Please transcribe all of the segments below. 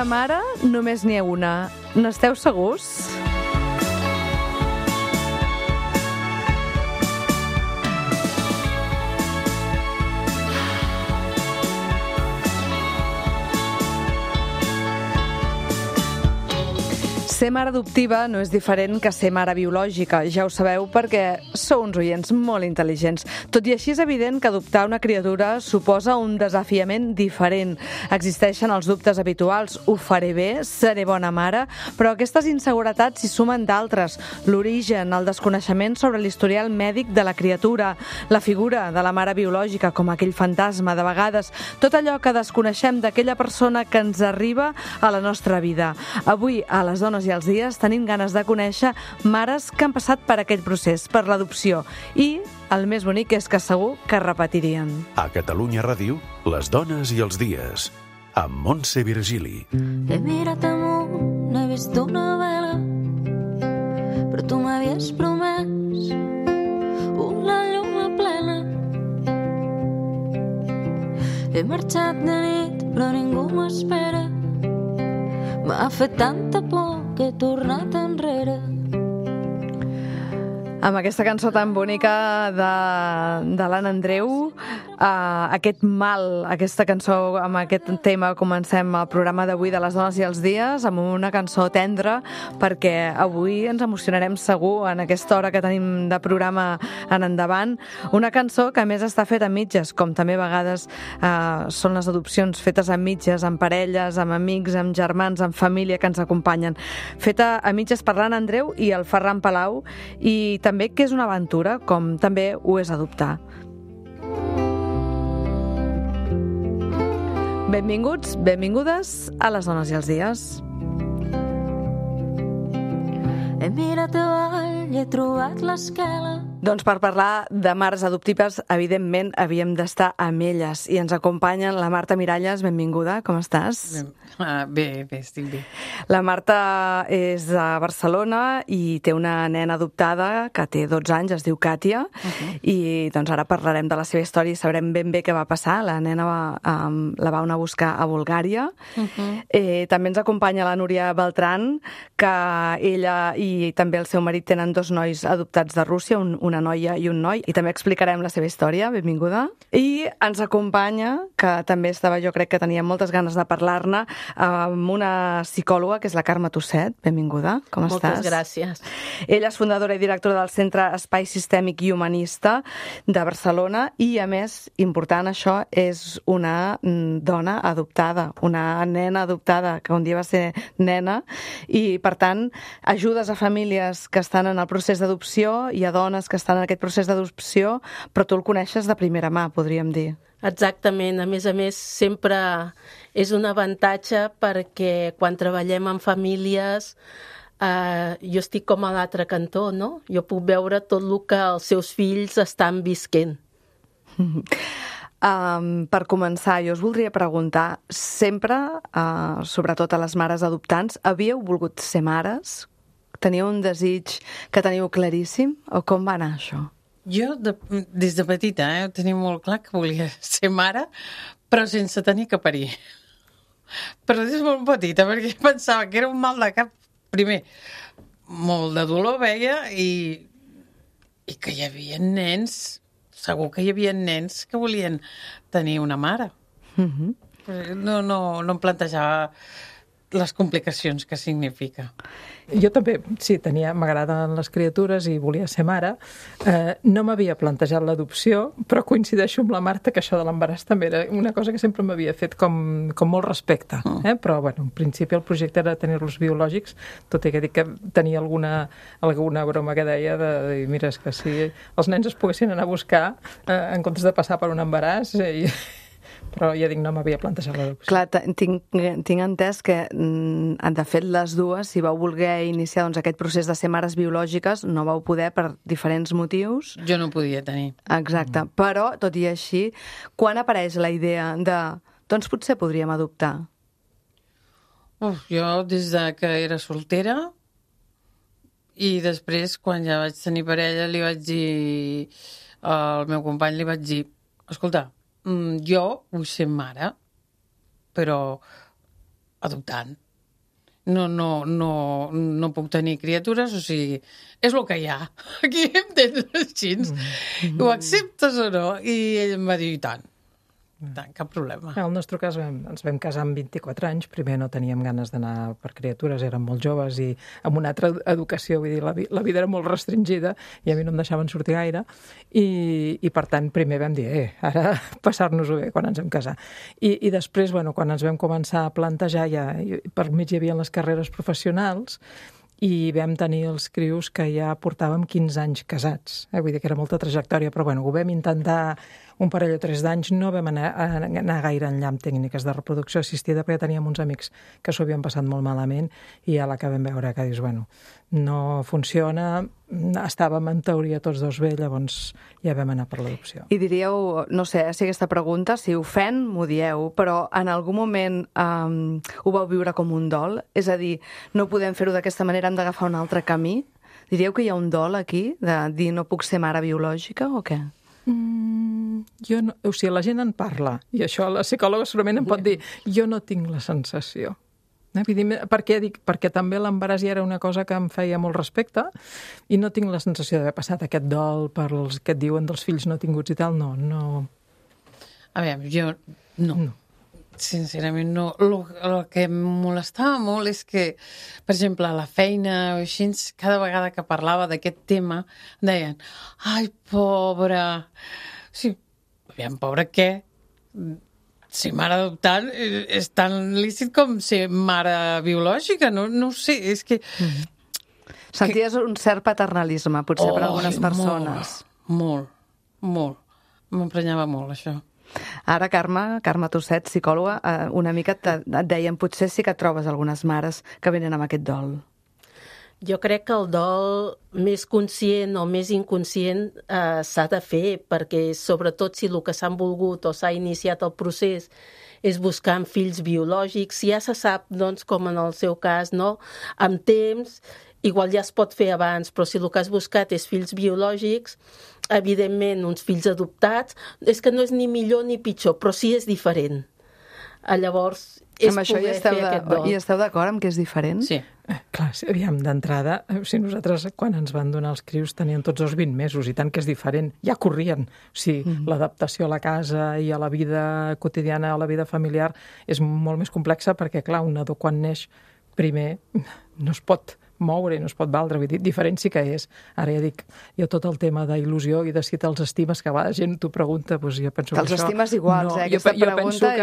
De mare només n'hi ha una. N'esteu segurs? Ser mare adoptiva no és diferent que ser mare biològica, ja ho sabeu perquè sou uns oients molt intel·ligents. Tot i així és evident que adoptar una criatura suposa un desafiament diferent. Existeixen els dubtes habituals, ho faré bé, seré bona mare, però aquestes inseguretats s'hi sumen d'altres. L'origen, el desconeixement sobre l'historial mèdic de la criatura, la figura de la mare biològica com aquell fantasma de vegades, tot allò que desconeixem d'aquella persona que ens arriba a la nostra vida. Avui, a les dones i els dies, tenim ganes de conèixer mares que han passat per aquell procés, per l'adopció. I el més bonic és que segur que repetirien. A Catalunya Ràdio, les dones i els dies, amb Montse Virgili. He mirat amunt, he vist una vela, però tu m'havies promès una lluna plena. He marxat de nit, però ningú m'espera. M'ha fet tanta por que he tornat enrere. Amb aquesta cançó tan bonica de l'Anna Andreu, aquest mal, aquesta cançó, amb aquest tema comencem el programa d'avui de les dones i els dies, amb una cançó tendra, perquè avui ens emocionarem segur en aquesta hora que tenim de programa en endavant. Una cançó que a més està feta a mitges, com també a vegades són les adopcions fetes a mitges, amb parelles, amb amics, amb germans, amb família que ens acompanyen. Feta a mitges per l'Anna Andreu i el Ferran Palau, i també que és una aventura, com també ho és adoptar. Benvinguts, benvingudes a les dones i els dies. He mirat avall i he trobat l'esquela. Doncs per parlar de mares adoptives, evidentment havíem d'estar amb elles. I ens acompanyen la Marta Miralles, benvinguda, com estàs? Bé, estic bé. La Marta és de Barcelona i té una nena adoptada que té 12 anys, es diu Kàtia, i doncs ara parlarem de la seva història i sabrem ben bé què va passar. La nena la va anar a buscar a Bulgària. També ens acompanya la Núria Beltran, que ella i també el seu marit tenen 2 nois adoptats de Rússia, una noia i un noi, i també explicarem la seva història. Benvinguda. I ens acompanya, que també estava, jo crec que tenia moltes ganes de parlar-ne, amb una psicòloga, que és la Carme Tusset. Benvinguda. Com estàs? Moltes gràcies. Ella és fundadora i directora del Centre Espai Sistèmic i Humanista de Barcelona i, a més, important això, és una dona adoptada, una nena adoptada, que un dia va ser nena, i, per tant, ajudes a famílies que estan en el procés d'adopció i a dones que estan en aquest procés d'adopció, però tu el coneixes de primera mà, podríem dir. Exactament. A més, sempre és un avantatge perquè quan treballem amb famílies jo estic com a l'altre cantó, no? Jo puc veure tot el que els seus fills estan visquent. Per començar, jo us voldria preguntar, sempre, sobretot a les mares adoptants, havíeu volgut ser mares? Teniu un desig que teniu claríssim? O com va anar això? Jo, des de petita, ho tenia molt clar que volia ser mare, però sense tenir que parir. Però des de molt petita, perquè pensava que era un mal de cap. Primer, molt de dolor veia i que hi havia nens, segur que hi havia nens que volien tenir una mare. No em plantejava les complicacions que significa. Jo també, sí, m'agraden les criatures i volia ser mare. No m'havia plantejat l'adopció, però coincideixo amb la Marta que això de l'embaràs també era una cosa que sempre m'havia fet com molt respecte. Però, bueno, en principi el projecte era tenir-los biològics, tot i que dic que tenia alguna broma que deia de dir, mira, és que si els nens es poguessin anar a buscar en comptes de passar per un embaràs però ja dic, no m'havia plantejat l'adopció. Clar, tinc entès que, de fet, les dues, si vau voler iniciar aquest procés de ser mares biològiques, no vau poder per diferents motius. Jo no podia tenir. Exacte. Però, tot i així, quan apareix la idea de, doncs potser podríem adoptar? Jo des de que era soltera i després, quan ja vaig tenir parella, li vaig dir al meu company, li vaig dir, escolta, jo vull ser mare, però adoptant. No puc tenir criatures, o sigui, és el que hi ha. Aquí em tens així. Ho acceptes o no? I ell em va dir, i tant, cap problema. En el nostre cas ens vam casar amb 24 anys, primer no teníem ganes d'anar per criatures, érem molt joves i amb una altra educació, vull dir, la vida era molt restringida i a mi no em deixaven sortir gaire i per tant, primer vam dir, ara passar-nos-ho bé quan ens vam casar. I després, quan ens vam començar a plantejar, ja per mig hi havia les carreres professionals i vam tenir els crios que ja portàvem 15 anys casats. Vull dir que era molta trajectòria, però ho vam intentar un parell o 3 d'anys, no vam anar gaire enllà amb tècniques de reproducció assistida perquè teníem uns amics que s'ho havien passat molt malament i a la que vam veure que dius, no funciona, estàvem en teoria tots dos bé, llavors ja vam anar per l'adopció. I diríeu, no sé si aquesta pregunta, si ofèn, m'ho dieu, però en algun moment ho vau viure com un dol? És a dir, no podem fer-ho d'aquesta manera, hem d'agafar un altre camí? Diríeu que hi ha un dol aquí, de dir no puc ser mare biològica o què? La gent en parla, i això la psicòloga segurament em pot dir, jo no tinc la sensació. Perquè també l'embaràs ja era una cosa que em feia molt respecte i no tinc la sensació d'haver passat aquest dol per els que et diuen dels fills no tinguts i tal, no. A veure, jo no. Sincerament no. El que em molestava molt és que, per exemple, a la feina o així, cada vegada que parlava d'aquest tema deien, ai, pobra. Sí, aviam, pobra què? Ser mare adoptant és tan lícit com ser mare biològica, no ho sé, és que... Senties un cert paternalisme, potser, per algunes persones. Molt. M'emprenyava molt, això. Ara, Carme Tosset, psicòloga, una mica et deien, potser sí que trobes algunes mares que venen amb aquest dol. Jo crec que el dol més conscient o més inconscient s'ha de fer, perquè sobretot si el que s'han volgut o s'ha iniciat el procés és buscar fills biològics, ja se sap, doncs, com en el seu cas, no? Amb temps, igual ja es pot fer abans, però si el que has buscat és fills biològics, evidentment, uns fills adoptats, és que no és ni millor ni pitjor, però sí és diferent. Llavors, és poder fer aquest dol. I esteu d'acord amb que és diferent? Sí. Clar, aviam, d'entrada, nosaltres quan ens van donar els crios tenien tots els 20 mesos, i tant que és diferent, ja corrien. O sigui, l'adaptació a la casa i a la vida quotidiana, a la vida familiar, és molt més complexa perquè, clar, un nadó quan neix, primer no es pot moure i no es pot valdre, vull dir, diferent sí que és. Ara ja dic, jo tot el tema d'il·lusió i de si te'ls estimes, que a vegades gent t'ho pregunta, doncs jo penso que això... Te'ls estimes iguals, aquesta pregunta...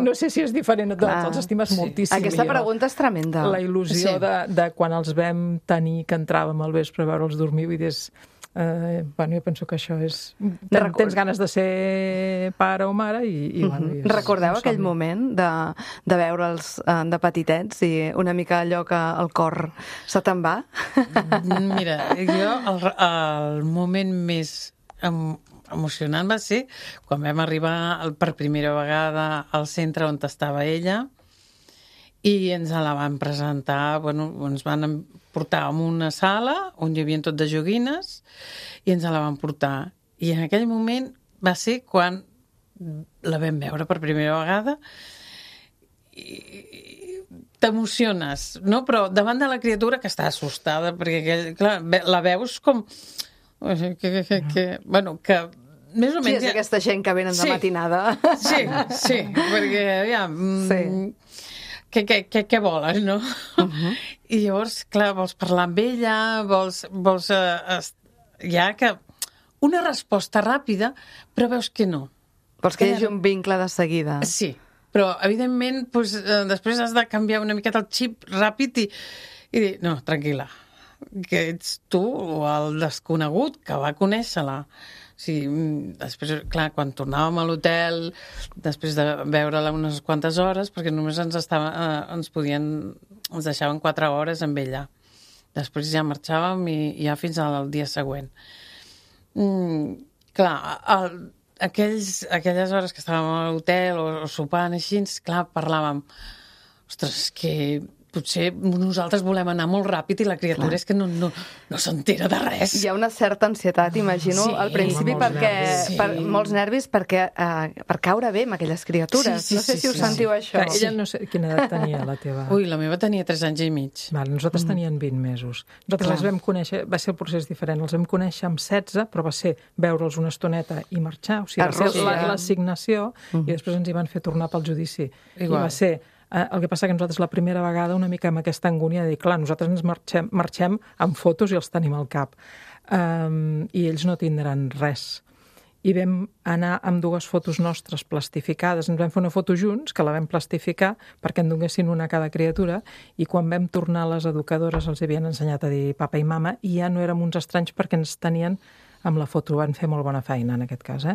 No sé si és diferent a tots, els estimes moltíssim. Aquesta pregunta és tremenda. La il·lusió de quan els vam tenir, que entràvem al vespre a veure'ls dormir, vull dir, jo penso que això és... Tens ganes de ser pare o mare i Recordeu aquell moment de veure'ls de petitets i una mica allò que el cor se te'n va? Mira, jo el moment més emocionant va ser quan vam arribar per primera vegada al centre on estava ella i ens la van presentar, ens van portar a una sala on hi havia tot de joguines i ens la van portar. I en aquell moment va ser quan la vam veure per primera vegada i t'emociones, no? Però davant de la criatura que està assustada, perquè clar, la veus com... que més o menys... Sí, és aquesta gent que venen de matinada. Sí, perquè, aviam... Què voles, no? I llavors, clar, vols parlar amb ella, vols ja que... Una resposta ràpida, però veus que no. Vols que hi hagi un vincle de seguida. Sí, però, evidentment, després has de canviar una miqueta el xip ràpid i dir, no, tranquil·la, que ets tu o el desconegut que va conèixer-la. Sí, després, clar, quan tornàvem a l'hotel, després de veure-la unes quantes hores, perquè només ens deixaven 4 hores amb ella. Després ja marxàvem i ja fins al dia següent. Clar, aquelles hores que estàvem a l'hotel o sopant així, clar, parlàvem, ostres, que potser nosaltres volem anar molt ràpid i la criatura és que no s'entera de res. Hi ha una certa ansietat, imagino, al principi, molts nervis perquè per caure bé amb aquelles criatures. No sé si ho sentiu, això. Ella no sé quina edat tenia, la teva. Ui, la meva tenia 3 anys i mig. Nosaltres tenien 20 mesos. Nosaltres les vam conèixer, va ser el procés diferent, els vam conèixer amb 16, però va ser veure'ls una estoneta i marxar, o sigui, va ser l'assignació, i després ens hi van fer tornar pel judici. I va ser... El que passa que nosaltres la primera vegada una mica amb aquesta angúnia de dir, clar, nosaltres ens marxem amb fotos i els tenim al cap. I ells no tindran res. I vam anar amb 2 fotos nostres plastificades. Ens vam fer una foto junts, que la vam plastificar perquè en donessin una a cada criatura, i quan vam tornar les educadores els havien ensenyat a dir papa i mama, i ja no érem uns estranys perquè ens tenien amb la foto, van fer molt bona feina en aquest cas.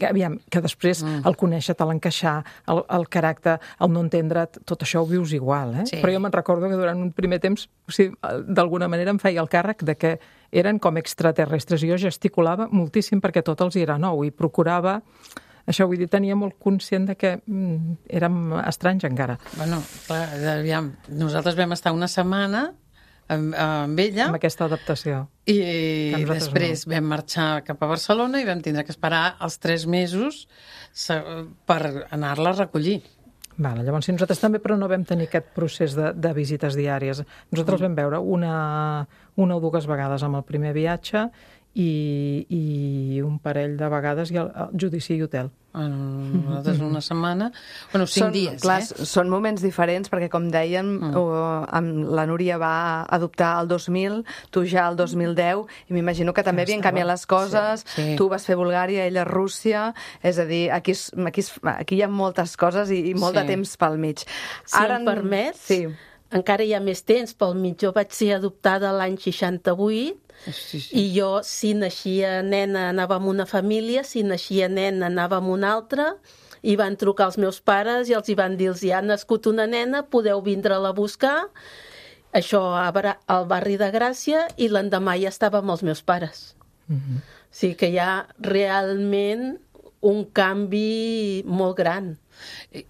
Aviam, que després el conèixer-te, l'encaixar, el caràcter, el no entendre't, tot això ho vius igual. Sí. Però jo me'n recordo que durant un primer temps, o sigui, d'alguna manera em feia el càrrec de que eren com extraterrestres. Jo gesticulava moltíssim perquè tot els era nou i procurava... Això, vull dir, tenia molt conscient de que érem estranys encara. Bueno, clar, aviam, nosaltres vam estar una setmana amb ella. Amb aquesta adaptació. I després vam marxar cap a Barcelona i vam tindre que esperar els 3 mesos per anar-la a recollir. Vale, llavors, si nosaltres també, però no vam tenir aquest procés de visites diàries. Nosaltres vam veure una o 2 vegades amb el primer viatge i un parell de vegades i el judici i hotel. Nosaltres una setmana... Bueno, 5 dies, clar, són moments diferents, perquè, com dèiem, la Núria va adoptar el 2000, tu ja el 2010, i m'imagino que també havien canviat les coses. Sí. Tu vas fer Bulgària, ella Rússia, és a dir, aquí hi ha moltes coses i molt de temps pel mig. Si em permets, encara hi ha més temps pel mig. Jo vaig ser adoptada l'any 68, i jo, si naixia nena, anava amb una família, si naixia nen, anava amb una altra, i van trucar els meus pares i els hi van dir, ha nascut una nena, podeu vindre-la a buscar. Això al barri de Gràcia, i l'endemà ja estava amb els meus pares. O sigui que hi ha realment un canvi molt gran.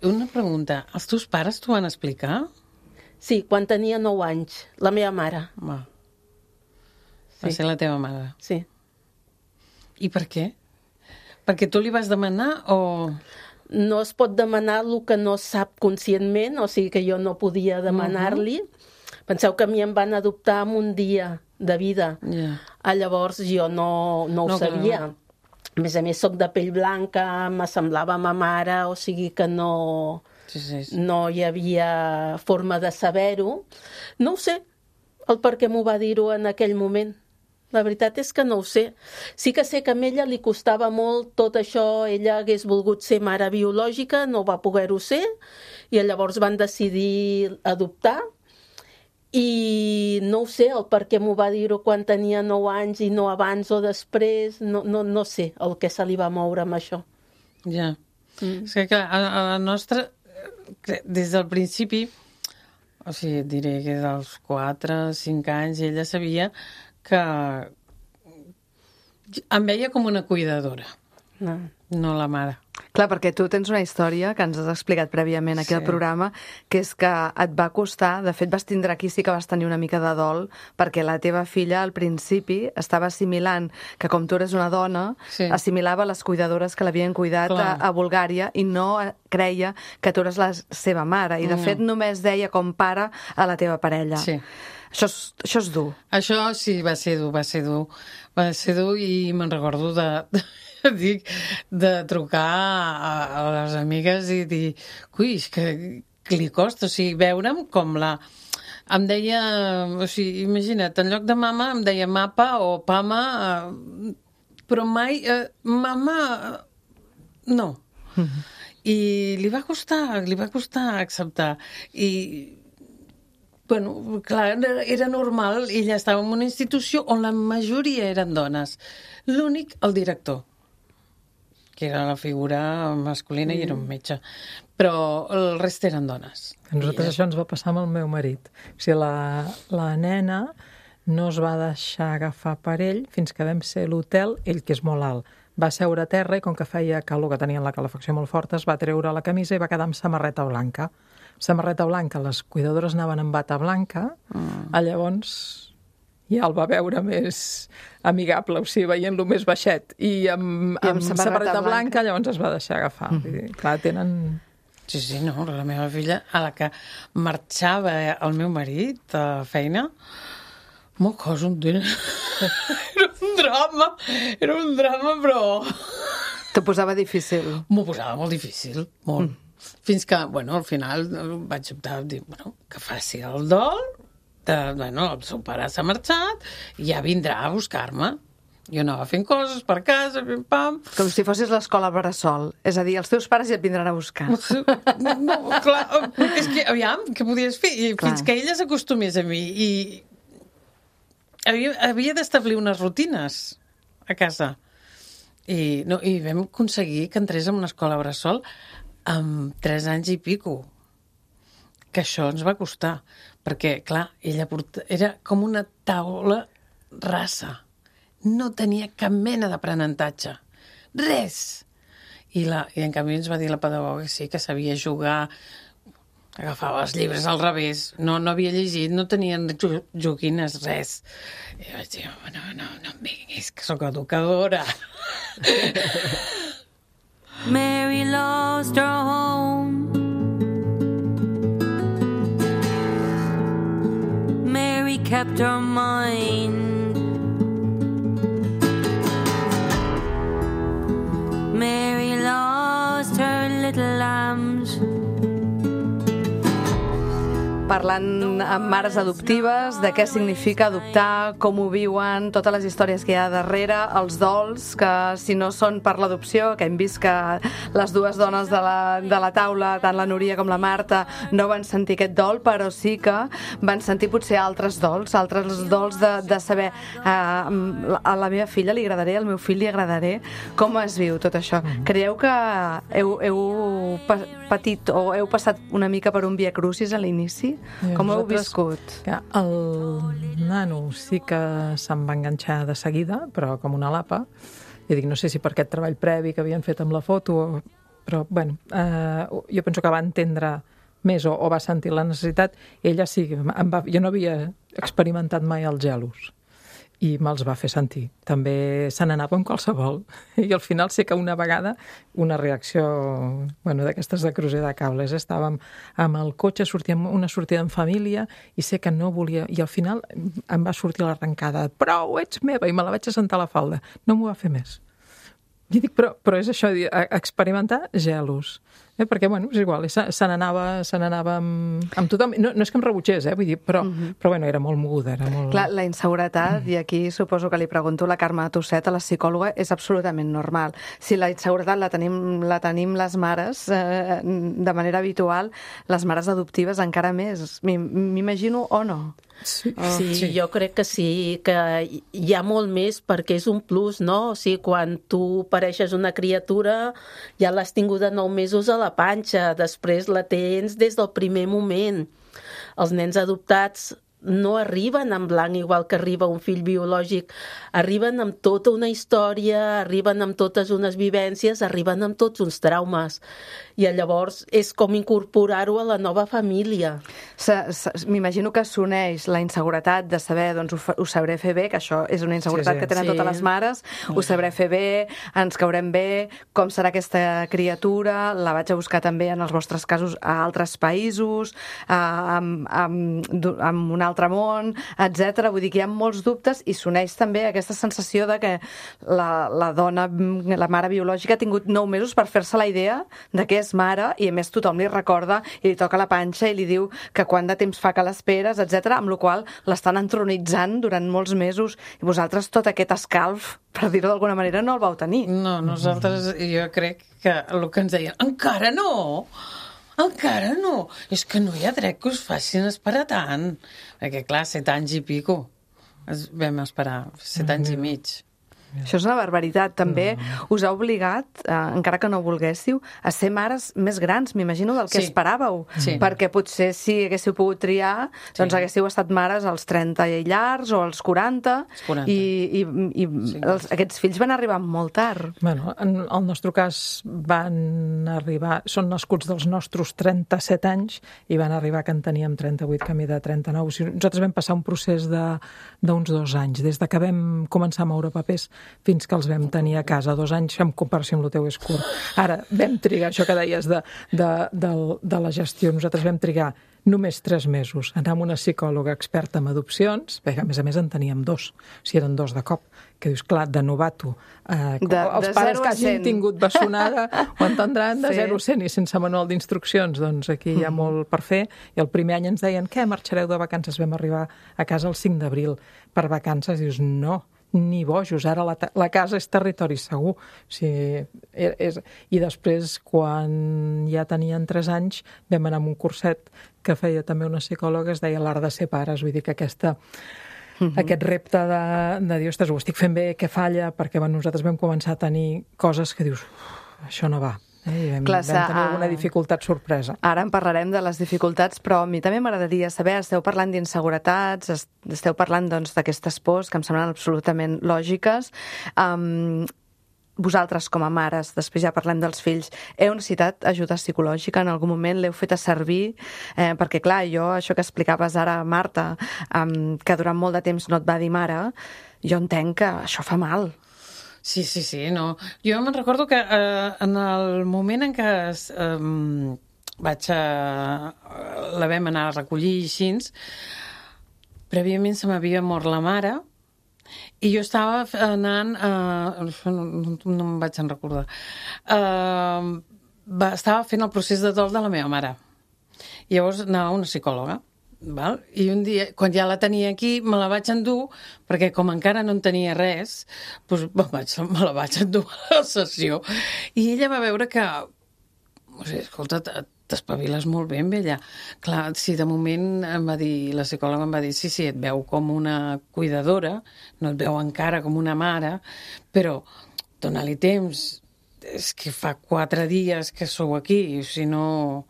Una pregunta, els teus pares t'ho van explicar? Sí, quan tenia 9 anys, la meva mare. Va ser la teva mare? Sí. I per què? Perquè tu li vas demanar o...? No es pot demanar el que no sap conscientment, o sigui que jo no podia demanar-li. Penseu que a mi em van adoptar en un dia de vida. Llavors jo no ho sabia. A més, soc de pell blanca, me semblava ma mare, o sigui que no hi havia forma de saber-ho. No ho sé, el per què m'ho va dir-ho en aquell moment. La veritat és que no ho sé. Sí que sé que a ella li costava molt tot això. Ella hagués volgut ser mare biològica, no va poder-ho ser, i llavors van decidir adoptar. I no ho sé, el per què m'ho va dir-ho quan tenia 9 anys i no abans o després. No sé el que se li va moure amb això. Ja. És que, clar, a la nostra, des del principi, o sigui, et diré que dels 4 o 5 anys ella sabia que em veia com una cuidadora, no la mare. Clar, perquè tu tens una història que ens has explicat prèviament aquí al programa, que és que et va costar, de fet vas tindre aquí, sí que vas tenir una mica de dol, perquè la teva filla al principi estava assimilant que com tu eres una dona, assimilava les cuidadores que l'havien cuidat a Bulgària i no creia que tu eres la seva mare, i de fet només deia com pare a la teva parella. Sí. Això és dur. Això sí, va ser dur i me'n recordo de trucar a les amigues i dir, ui, és que li costa, o sigui, veure'm com la... Em deia, o sigui, imagina't, en lloc de mama em deia mapa o pama, però mai mama no. I li va costar acceptar. I bueno, clar, era normal, ella estava en una institució on la majoria eren dones. L'únic, el director, que era la figura masculina i era un metge. Però el rest eren dones. A nosaltres això ens va passar amb el meu marit. O sigui, la nena no es va deixar agafar per ell fins que vam ser a l'hotel, ell que és molt alt, va seure a terra i com que feia calor, que tenien la calefacció molt forta, es va treure la camisa i va quedar amb samarreta blanca. Samarreta blanca, les cuidadores anaven amb bata blanca, llavors ja el va veure més amigable, o sigui, veient-lo més baixet, i amb samarreta blanca llavors es va deixar agafar. Vull dir, clar, tenen... Sí, no, la meva filla, a la que marxava el meu marit a feina, m'ho cosa un dia... Era un drama, però... T'ho posava difícil. M'ho posava molt difícil, molt. Fins que, bueno, al final vaig optar a dir, bueno, que faci el dol, el seu pare s'ha marxat, i ja vindrà a buscar-me. Jo anava fent coses per casa, pim-pam... Com si fossis l'escola bressol. És a dir, els teus pares ja et vindran a buscar. No, clar, és que, aviam, què podies fer? I fins que ella s'acostumés a mi. I havia d'establir unes rutines a casa. I vam aconseguir que entrés en una escola bressol amb 3 anys i pico. Que això ens va costar. Perquè, clar, ella era com una taula rasa. No tenia cap mena d'aprenentatge. Res! I en canvi ens va dir la pedagoga que sí, que sabia jugar, agafava els llibres al revés, no havia llegit, no tenien joguines, res. I vaig dir, no em vinguis, que sóc educadora. Mary lost her home. Mary kept her mind. Mary lost her little lambs. Parlant amb mares adoptives, de què significa adoptar, com ho viuen, totes les històries que hi ha darrere, els dols, que si no són per l'adopció, que hem vist que les dues dones de la taula, tant la Núria com la Marta, no van sentir aquest dol, però sí que van sentir potser altres dols de saber a la meva filla li agradaré, al meu fill li agradaré. Com es viu tot això? Creieu que heu patit o heu passat una mica per un via crucis a l'inici? Com ho heu viscut? El nano sí que se'n va enganxar de seguida, però com una lapa. I dic, no sé si per aquest treball previ que havien fet amb la foto, però, bueno, jo penso que va entendre més o va sentir la necessitat. Ella sí, jo no havia experimentat mai els gelos i me'ls va fer sentir. També se n'anava amb qualsevol. I al final sé que una vegada, una reacció d'aquestes de crucer de cables, estàvem amb el cotxe, sortíem una sortida en família i sé que no volia... I al final em va sortir l'arrencada. Prou, ets meva! I me la vaig assentar a la falda. No m'ho va fer més. I dic, però és això, experimentar gelos. Perquè, bueno, és igual, se n'anava amb tothom. No és que em rebutgés, vull dir, però bueno, era molt moguda, era molt... Clar, la inseguretat, i aquí suposo que li pregunto a la Carme Tosset, a la psicòloga, és absolutament normal. Si la inseguretat la tenim les mares de manera habitual, les mares adoptives encara més. M'imagino o no? Sí, jo crec que sí, que hi ha molt més perquè és un plus, no? O sigui, quan tu pareixes una criatura, ja l'has tingut de 9 mesos a la panxa, després la tens des del primer moment. Els nens adoptats no arriben en blanc igual que arriba un fill biològic, arriben amb tota una història, arriben amb totes unes vivències, arriben amb tots uns traumes, i llavors és com incorporar-ho a la nova família. M'imagino que s'uneix la inseguretat de saber, doncs ho sabré fer bé, que això és una inseguretat que tenen totes les mares, ho sabré fer bé, ens caurem bé, com serà aquesta criatura, la vaig a buscar també en els vostres casos a altres països, amb un altre món, etc. Vull dir que hi ha molts dubtes i s'uneix també aquesta sensació de que la dona, la mare biològica, ha tingut 9 mesos per fer-se la idea de que és mare i a més tothom li recorda i li toca la panxa i li diu que quant de temps fa que l'esperes, etc. Amb la qual cosa l'estan entronitzant durant molts mesos i vosaltres tot aquest escalf, per dir-ho d'alguna manera, no el vau tenir. No, nosaltres, jo crec que el que ens deien, encara no! Encara no! És que no hi ha dret que us facin esperar tant. Perquè, clar, 7 anys i pico. Vam esperar 7 anys i mig. Això és una barbaritat. També us ha obligat, encara que no volguéssiu, a ser mares més grans, m'imagino, del que esperàveu. Perquè potser si haguéssiu pogut triar, doncs haguéssiu estat mares als 30 i llargs o als 40, i aquests fills van arribar molt tard. Bueno, en el nostre cas van arribar, són nascuts dels nostres 37 anys i van arribar que en teníem 38, camí de 39. O sigui, nosaltres vam passar un procés d'uns 2 anys, des de que vam començar a moure papers fins que els vam tenir a casa. 2 anys, en comparació amb el teu és curt. Ara, vam trigar, això que deies de la gestió, nosaltres vam trigar només 3 mesos, anar amb una psicòloga experta en adopcions, perquè a més en teníem 2, si eren 2 de cop, que dius, clar, de novato. Els pares que hagin tingut bessonada ho entendran de 0 a 100 i sense manual d'instruccions, doncs aquí hi ha molt per fer. I el primer any ens deien, què, marxareu de vacances? Vam arribar a casa el 5 d'abril per vacances, i dius, no, ni bojos, ara la casa és territori segur. O sigui, i després, quan ja tenien 3 anys, vam anar a un curset que feia també una psicòloga, es deia l'art de ser pares. Vull dir que aquest repte de dir, ostres, ho estic fent bé, què falla? Perquè nosaltres vam començar a tenir coses que dius, això no va. I vam tenir alguna dificultat sorpresa. Ara en parlarem de les dificultats, però a mi també m'agradaria saber, esteu parlant d'inseguretats, esteu parlant d'aquestes pors que em semblen absolutament lògiques. Vosaltres, com a mares, després ja parlem dels fills, heu necessitat ajuda psicològica en algun moment? L'heu fet a servir? Perquè, clar, això que explicaves ara, Marta, que durant molt de temps no et va dir mare, jo entenc que això fa mal. Sí, no. Jo me'n recordo que en el moment en què la vam anar a recollir així, prèviament se m'havia mort la mare i jo estava anant, no em vaig en recordar, estava fent el procés de dol de la meva mare. I llavors anava a una psicòloga. Val? I un dia, quan ja la tenia aquí, me la vaig endur, perquè com encara no en tenia res, doncs me la vaig endur a la sessió. I ella va veure que, o sigui, escolta, t'espaviles molt bé amb ella. Clar, si de moment la psicòloga em va dir, sí, et veu com una cuidadora, no et veu encara com una mare, però dona-li temps, és que fa 4 dies que sou aquí, si no...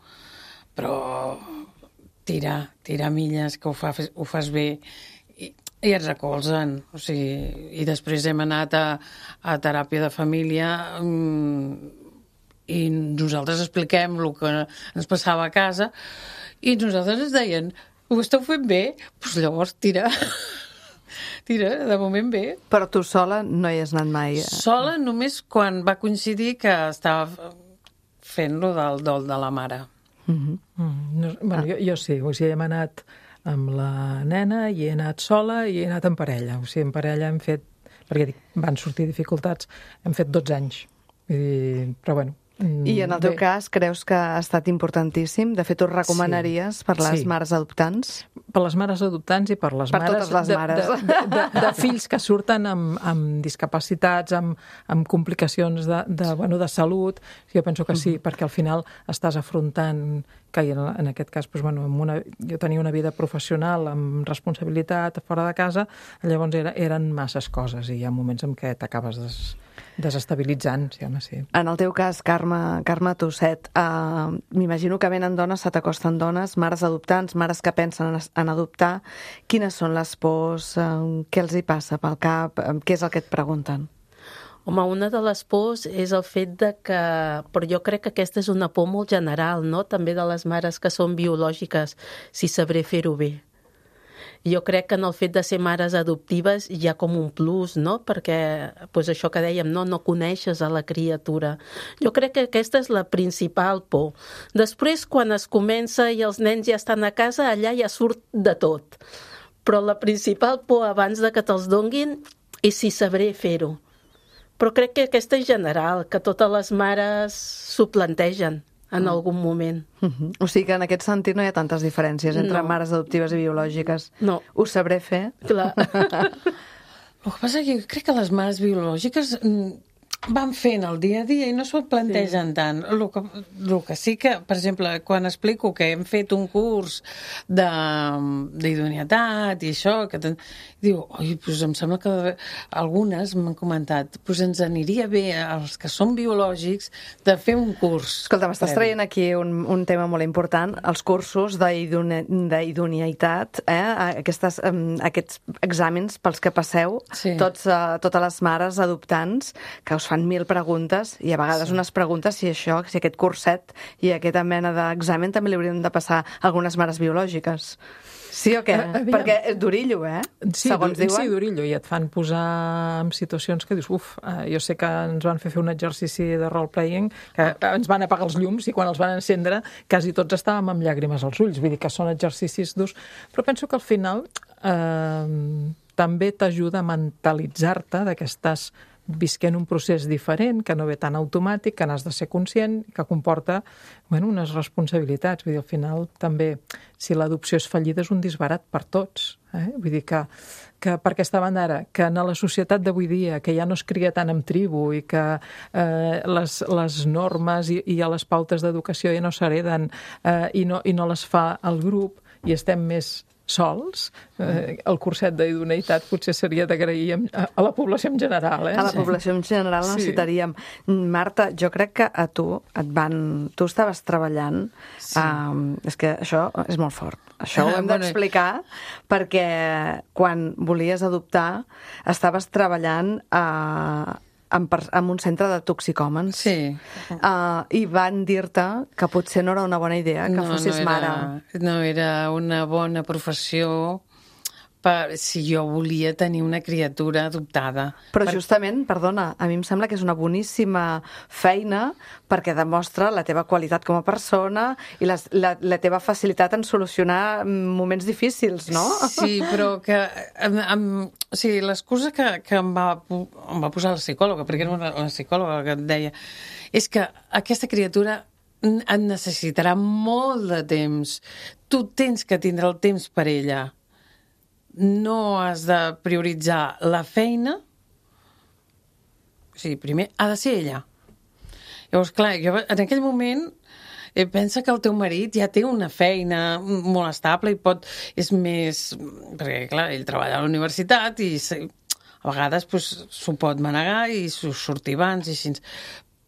Però... Tira milles, que ho fas bé, i et recolzen. O sigui, i després hem anat a teràpia de família i nosaltres expliquem el que ens passava a casa i nosaltres ens deien, ho esteu fent bé? Doncs llavors tira, de moment bé. Però tu sola no hi has anat mai? Sola només quan va coincidir que estava fent-lo del dol de la mare. Bueno, jo sí, o sigui, hem anat amb la nena i he anat sola i he anat en parella. O sigui, en parella hem fet, perquè van sortir dificultats, hem fet 12 anys. Però bueno... I en el teu cas, creus que ha estat importantíssim? De fet, ho recomanaries per les mares adoptants? Per les mares adoptants i per les mares... Per totes les mares. De fills que surten amb discapacitats, amb complicacions de salut. Jo penso que sí, perquè al final estàs afrontant que en aquest cas, jo tenia una vida professional amb responsabilitat fora de casa, llavors eren masses coses i hi ha moments en què t'acabes desestabilitzant, sí, home, sí. En el teu cas, Carme Tosset, m'imagino que venen dones, se t'acosten dones, mares adoptants, mares que pensen en adoptar. Quines són les pors? Què els hi passa pel cap? Què és el que et pregunten? Home, una de les pors és el fet de que... Però jo crec que aquesta és una por molt general, no? També de les mares que són biològiques, si sabré fer-ho bé. Jo crec que en el fet de ser mares adoptives hi ha com un plus, no? Perquè, doncs això que dèiem, no coneixes a la criatura. Jo crec que aquesta és la principal por. Després, quan es comença i els nens ja estan a casa, allà ja surt de tot. Però la principal por abans de que te'ls donguin és si sabré fer-ho. Però crec que aquesta és general, que totes les mares s'ho plantegen en algun moment. O sigui que en aquest sentit no hi ha tantes diferències entre mares adoptives i biològiques. No. Ho sabré fer? Clar. El que passa és que jo crec que les mares biològiques van fent el dia a dia i no s'ho plantegen tant. El que sí que, per exemple, quan explico que hem fet un curs d'idoneïtat i això, diu, oi, doncs em sembla que algunes m'han comentat, doncs ens aniria bé als que són biològics de fer un curs. Escolta, m'estàs traient aquí un tema molt important, els cursos d'idoneïtat, aquests exàmens pels que passeu, totes les mares adoptants, que us fan 1000 preguntes, i a vegades unes preguntes si aquest curset i aquesta mena d'examen també li haurien de passar algunes mares biològiques. Sí o què? Perquè és durillo, segons diuen. Sí, durillo, i et fan posar en situacions que dius, jo sé que ens van fer un exercici de role-playing, que ens van apagar els llums i quan els van encendre quasi tots estàvem amb llàgrimes als ulls, vull dir que són exercicis durs, però penso que al final també t'ajuda a mentalitzar-te que estàs visquent un procés diferent, que no ve tan automàtic, que n'has de ser conscient, que comporta unes responsabilitats. Vull dir, al final també, si l'adopció és fallida, és un disbarat per tots. Vull dir que per aquesta banda ara, que en la societat d'avui dia, que ja no es cria tant en tribu i que les normes i les pautes d'educació ja no s'hereden i no les fa el grup i estem més sols, el curset d'idoneïtat potser seria d'agrair a la població en general. A la població en general necessitaríem. Marta, jo crec que a tu tu estaves treballant, és que això és molt fort. Això ho hem d'explicar perquè quan volies adoptar estaves treballant en un centre de toxicòmens. Sí. I van dir-te que potser no era una bona idea que fossis mare. No era una bona professió si jo volia tenir una criatura adoptada. Però justament, perdona, a mi em sembla que és una boníssima feina perquè demostra la teva qualitat com a persona i la teva facilitat en solucionar moments difícils, no? Sí, però que l'excusa que em va posar la psicòloga, perquè era una psicòloga que et deia, és que aquesta criatura et necessitarà molt de temps. Tu tens que tindre el temps per ella. No has de prioritzar la feina. O sigui, primer ha de ser ella. Llavors, clar, jo en aquell moment pensa que el teu marit ja té una feina molt estable i és més... Perquè, clar, ell treballa a la universitat i a vegades s'ho pot manegar i sortir abans i així.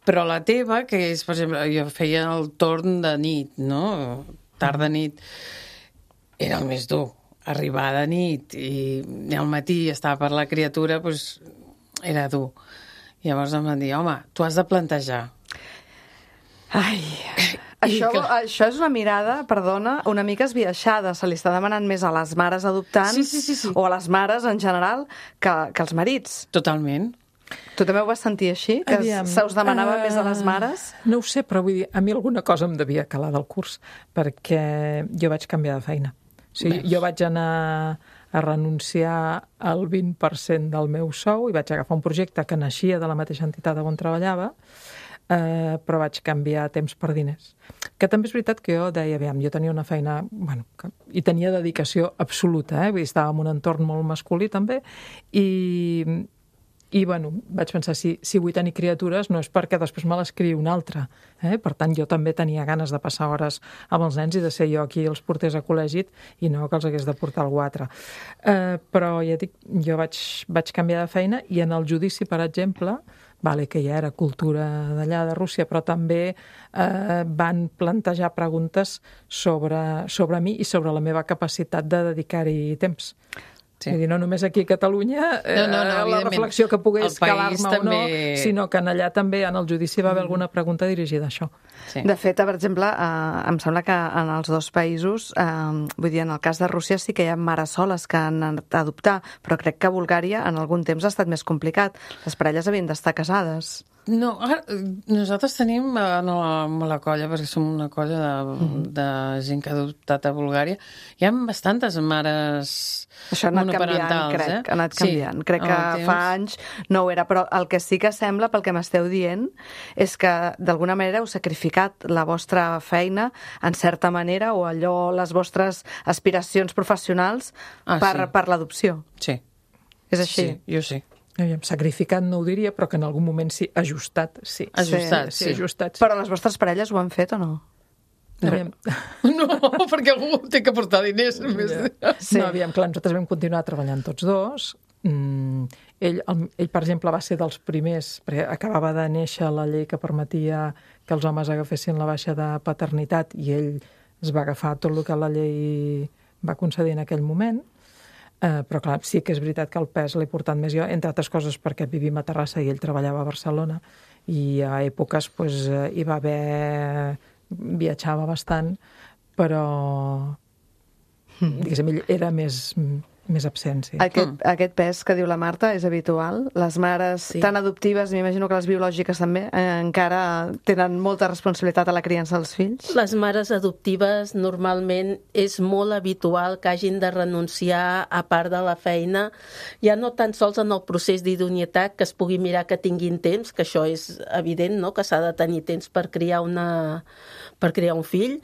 Però la teva, que és, per exemple, jo feia el torn de nit, no? Tarda-nit, era el més dur. Arribar de nit i al matí estar per la criatura, era dur. Llavors em van dir, home, tu has de plantejar. Ai, això és una mirada, perdona, una mica esbiaixada. Se li està demanant més a les mares adoptants o a les mares en general que als marits. Totalment. Tu també ho vas sentir així? Que se us demanava més a les mares? No ho sé, però vull dir, a mi alguna cosa em devia calar del curs, perquè jo vaig canviar de feina. O sigui, jo vaig anar a renunciar al 20% del meu sou i vaig agafar un projecte que naixia de la mateixa entitat on treballava, però vaig canviar temps per diners. Que també és veritat que jo deia, aviam, jo tenia una feina, i tenia dedicació absoluta, vull dir, estava en un entorn molt masculí també, i vaig pensar, si vull tenir criatures no és perquè després me les criï un altre. Per tant, jo també tenia ganes de passar hores amb els nens i de ser jo qui els portés a col·legi i no que els hagués de portar algú altre. Però ja dic, jo vaig canviar de feina i en el judici, per exemple, que ja era cultura d'allà de Rússia, però també van plantejar preguntes sobre mi i sobre la meva capacitat de dedicar-hi temps. Sí. Vull dir, no només aquí a Catalunya, la reflexió que pogués calar-me o no, sinó que allà també en el judici va haver alguna pregunta dirigida a això. Sí. De fet, per exemple, em sembla que en els dos països, vull dir, en el cas de Rússia sí que hi ha mares soles que han anat a adoptar, però crec que a Bulgària en algun temps ha estat més complicat. Les parelles havien d'estar casades. No, nosaltres tenim a la colla, perquè som una colla de gent que ha adoptat a Bulgària, hi ha bastantes mares monoparentals. Ha anat canviant. Crec que fa anys no ho era, però el que sí que sembla, pel que m'esteu dient, és que d'alguna manera heu sacrificat la vostra feina en certa manera o les vostres aspiracions professionals per l'adopció. Sí. És així? Sí, jo sí. sacrificat no ho diria, però que en algun moment sí, ajustat, sí. Ajustat, sí. Ajustat, sí. Però les vostres parelles ho han fet o no? Aviam. No, perquè algú té que portar diners. Sí. No, aviam, clar, nosaltres vam continuar treballant tots dos. Ell, per exemple, va ser dels primers, perquè acabava de néixer la llei que permetia que els homes agafessin la baixa de paternitat i ell es va agafar tot el que la llei va concedir en aquell moment. Però clar, sí que és veritat que el pes l'he portat més jo, entre altres coses perquè vivim a Terrassa i ell treballava a Barcelona i a èpoques hi va haver... viatjava bastant, però diguéssim, ell era més absent, sí. Aquest pes que diu la Marta és habitual? Les mares tan adoptives, m'imagino que les biològiques també, encara tenen molta responsabilitat a la criança dels fills? Les mares adoptives normalment és molt habitual que hagin de renunciar a part de la feina, ja no tan sols en el procés d'idoneïtat, que es pugui mirar que tinguin temps, que això és evident, no?, que s'ha de tenir temps per criar un fill,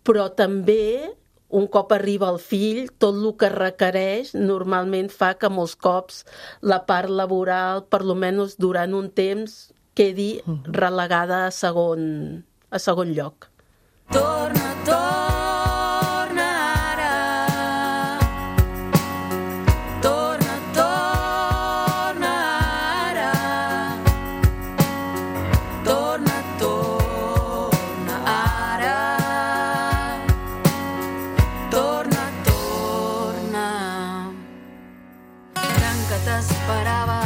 però també un cop arriba el fill, tot el que requereix normalment fa que molts cops la part laboral, per lo menys durant un temps, quedi relegada a segon lloc. Torna, torna ara. Torna, torna ara. Torna, torna ara. Torna, torna. Tant que t'esperava,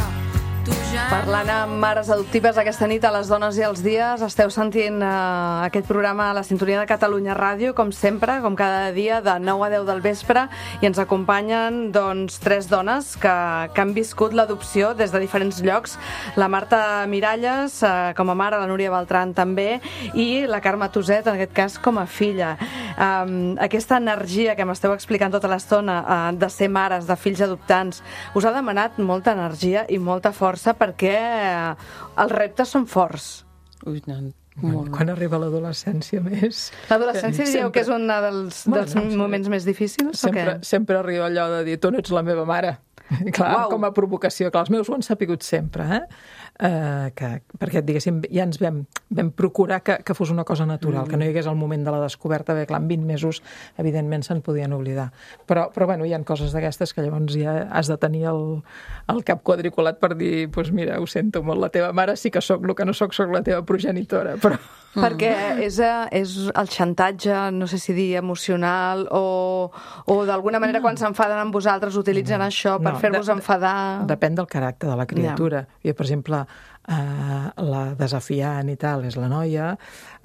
tu ja... Parlant amb mares adoptives aquesta nit a Les Dones i els Dies, esteu sentint aquest programa a la sintonia de Catalunya Ràdio, com sempre, com cada dia, de 9 a 10 del vespre, i ens acompanyen, doncs, 3 dones que han viscut l'adopció des de diferents llocs. La Marta Miralles, com a mare, la Núria Beltran també, i la Carme Tuset, en aquest cas, com a filla. Aquesta energia que m'esteu explicant tota l'estona de ser mares, de fills adoptants, us ha demanat molta energia i molta força perquè els reptes són forts. Ui, no, Quan arriba l'adolescència més... L'adolescència diríeu que és un dels moments més difícils? Sempre arriba allò de dir, tu no ets la meva mare. Clar, com a provocació. Clar, els meus ho han sapigut sempre, perquè, diguéssim, ja ens vam procurar que fos una cosa natural, que no hi hagués el moment de la descoberta, bé, clar, en 20 mesos, evidentment, se'n podien oblidar. Però bueno, hi ha coses d'aquestes que llavors ja has de tenir el cap quadriculat per dir, doncs mira, ho sento molt, la teva mare sí que sóc, el que no sóc la teva progenitora, però... Perquè és el xantatge, no sé si dir emocional, o d'alguna manera quan s'enfaden amb vosaltres utilitzen això per fer-vos enfadar... Depèn del caràcter de la criatura. Jo, per exemple, la desafiant i tal és la noia,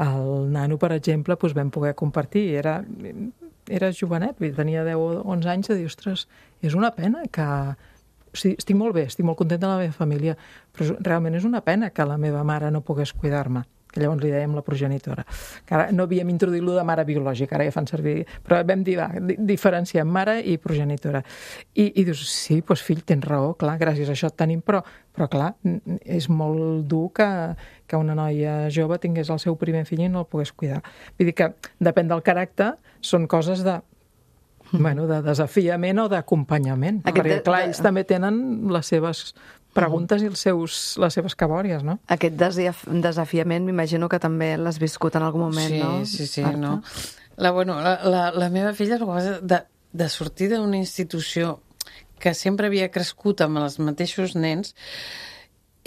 el nano, per exemple, doncs vam poder compartir, era jovenet, tenia 10 o 11 anys, de dir, ostres, és una pena que... O sigui, estic molt bé, estic molt contenta de la meva família, però realment és una pena que la meva mare no pogués cuidar-me, que llavors li dèiem la progenitora. Que ara no havíem introduït-lo de mare biològica, ara ja fan servir... Però vam dir, diferenciem mare i progenitora. I dius, sí, doncs fill, tens raó, clar, gràcies a això et tenim, però clar, és molt dur que una noia jove tingués el seu primer fill i no el pogués cuidar. Vull dir que depèn del caràcter, són coses de desafiament o d'acompanyament. Perquè, clar, ells també tenen les seves preguntes i les seves cabòries, no? Aquest desafiament m'imagino que també l'has viscut en algun moment, no? Sí, no? La meva filla, de sortir d'una institució que sempre havia crescut amb els mateixos nens,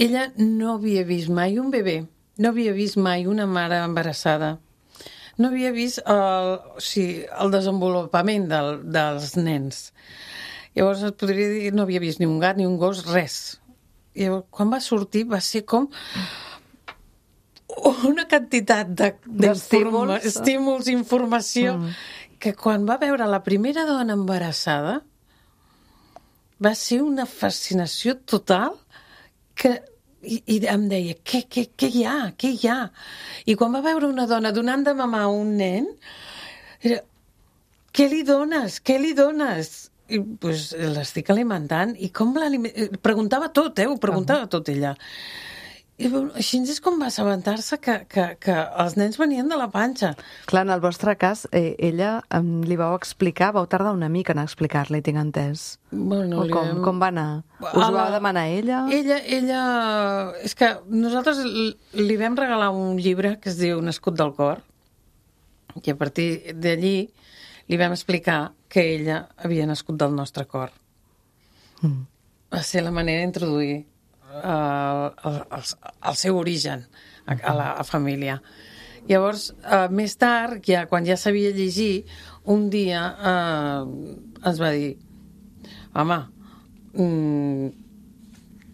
ella no havia vist mai un bebè, no havia vist mai una mare embarassada, no havia vist el desenvolupament dels nens. Llavors et podria dir, no havia vist ni un gat, ni un gos, res. I llavors, quan va sortir, va ser com una quantitat d'estímuls, informació, que quan va veure la primera dona embarassada va ser una fascinació total i em deia, què hi ha? Què hi ha? I quan va veure una dona donant de mamar a un nen, era, què li dones? Què li dones? I pues, l'estic alimentant. I com preguntava tot, ho preguntava tot ella. I així és com va assabentar-se que els nens venien de la panxa. Clar, en el vostre cas, ella li vau explicar, vau tardar una mica en explicar-li, tinc entès. Bueno, Com va anar? Us ho va demanar ella? Ella... És que nosaltres li vam regalar un llibre que es diu Nascut del cor, i a partir d'allí li vam explicar que ella havia nascut del nostre cor. Va ser la manera d'introduir el seu origen a la família. Llavors, més tard, quan ja sabia llegir, un dia ens va dir: home,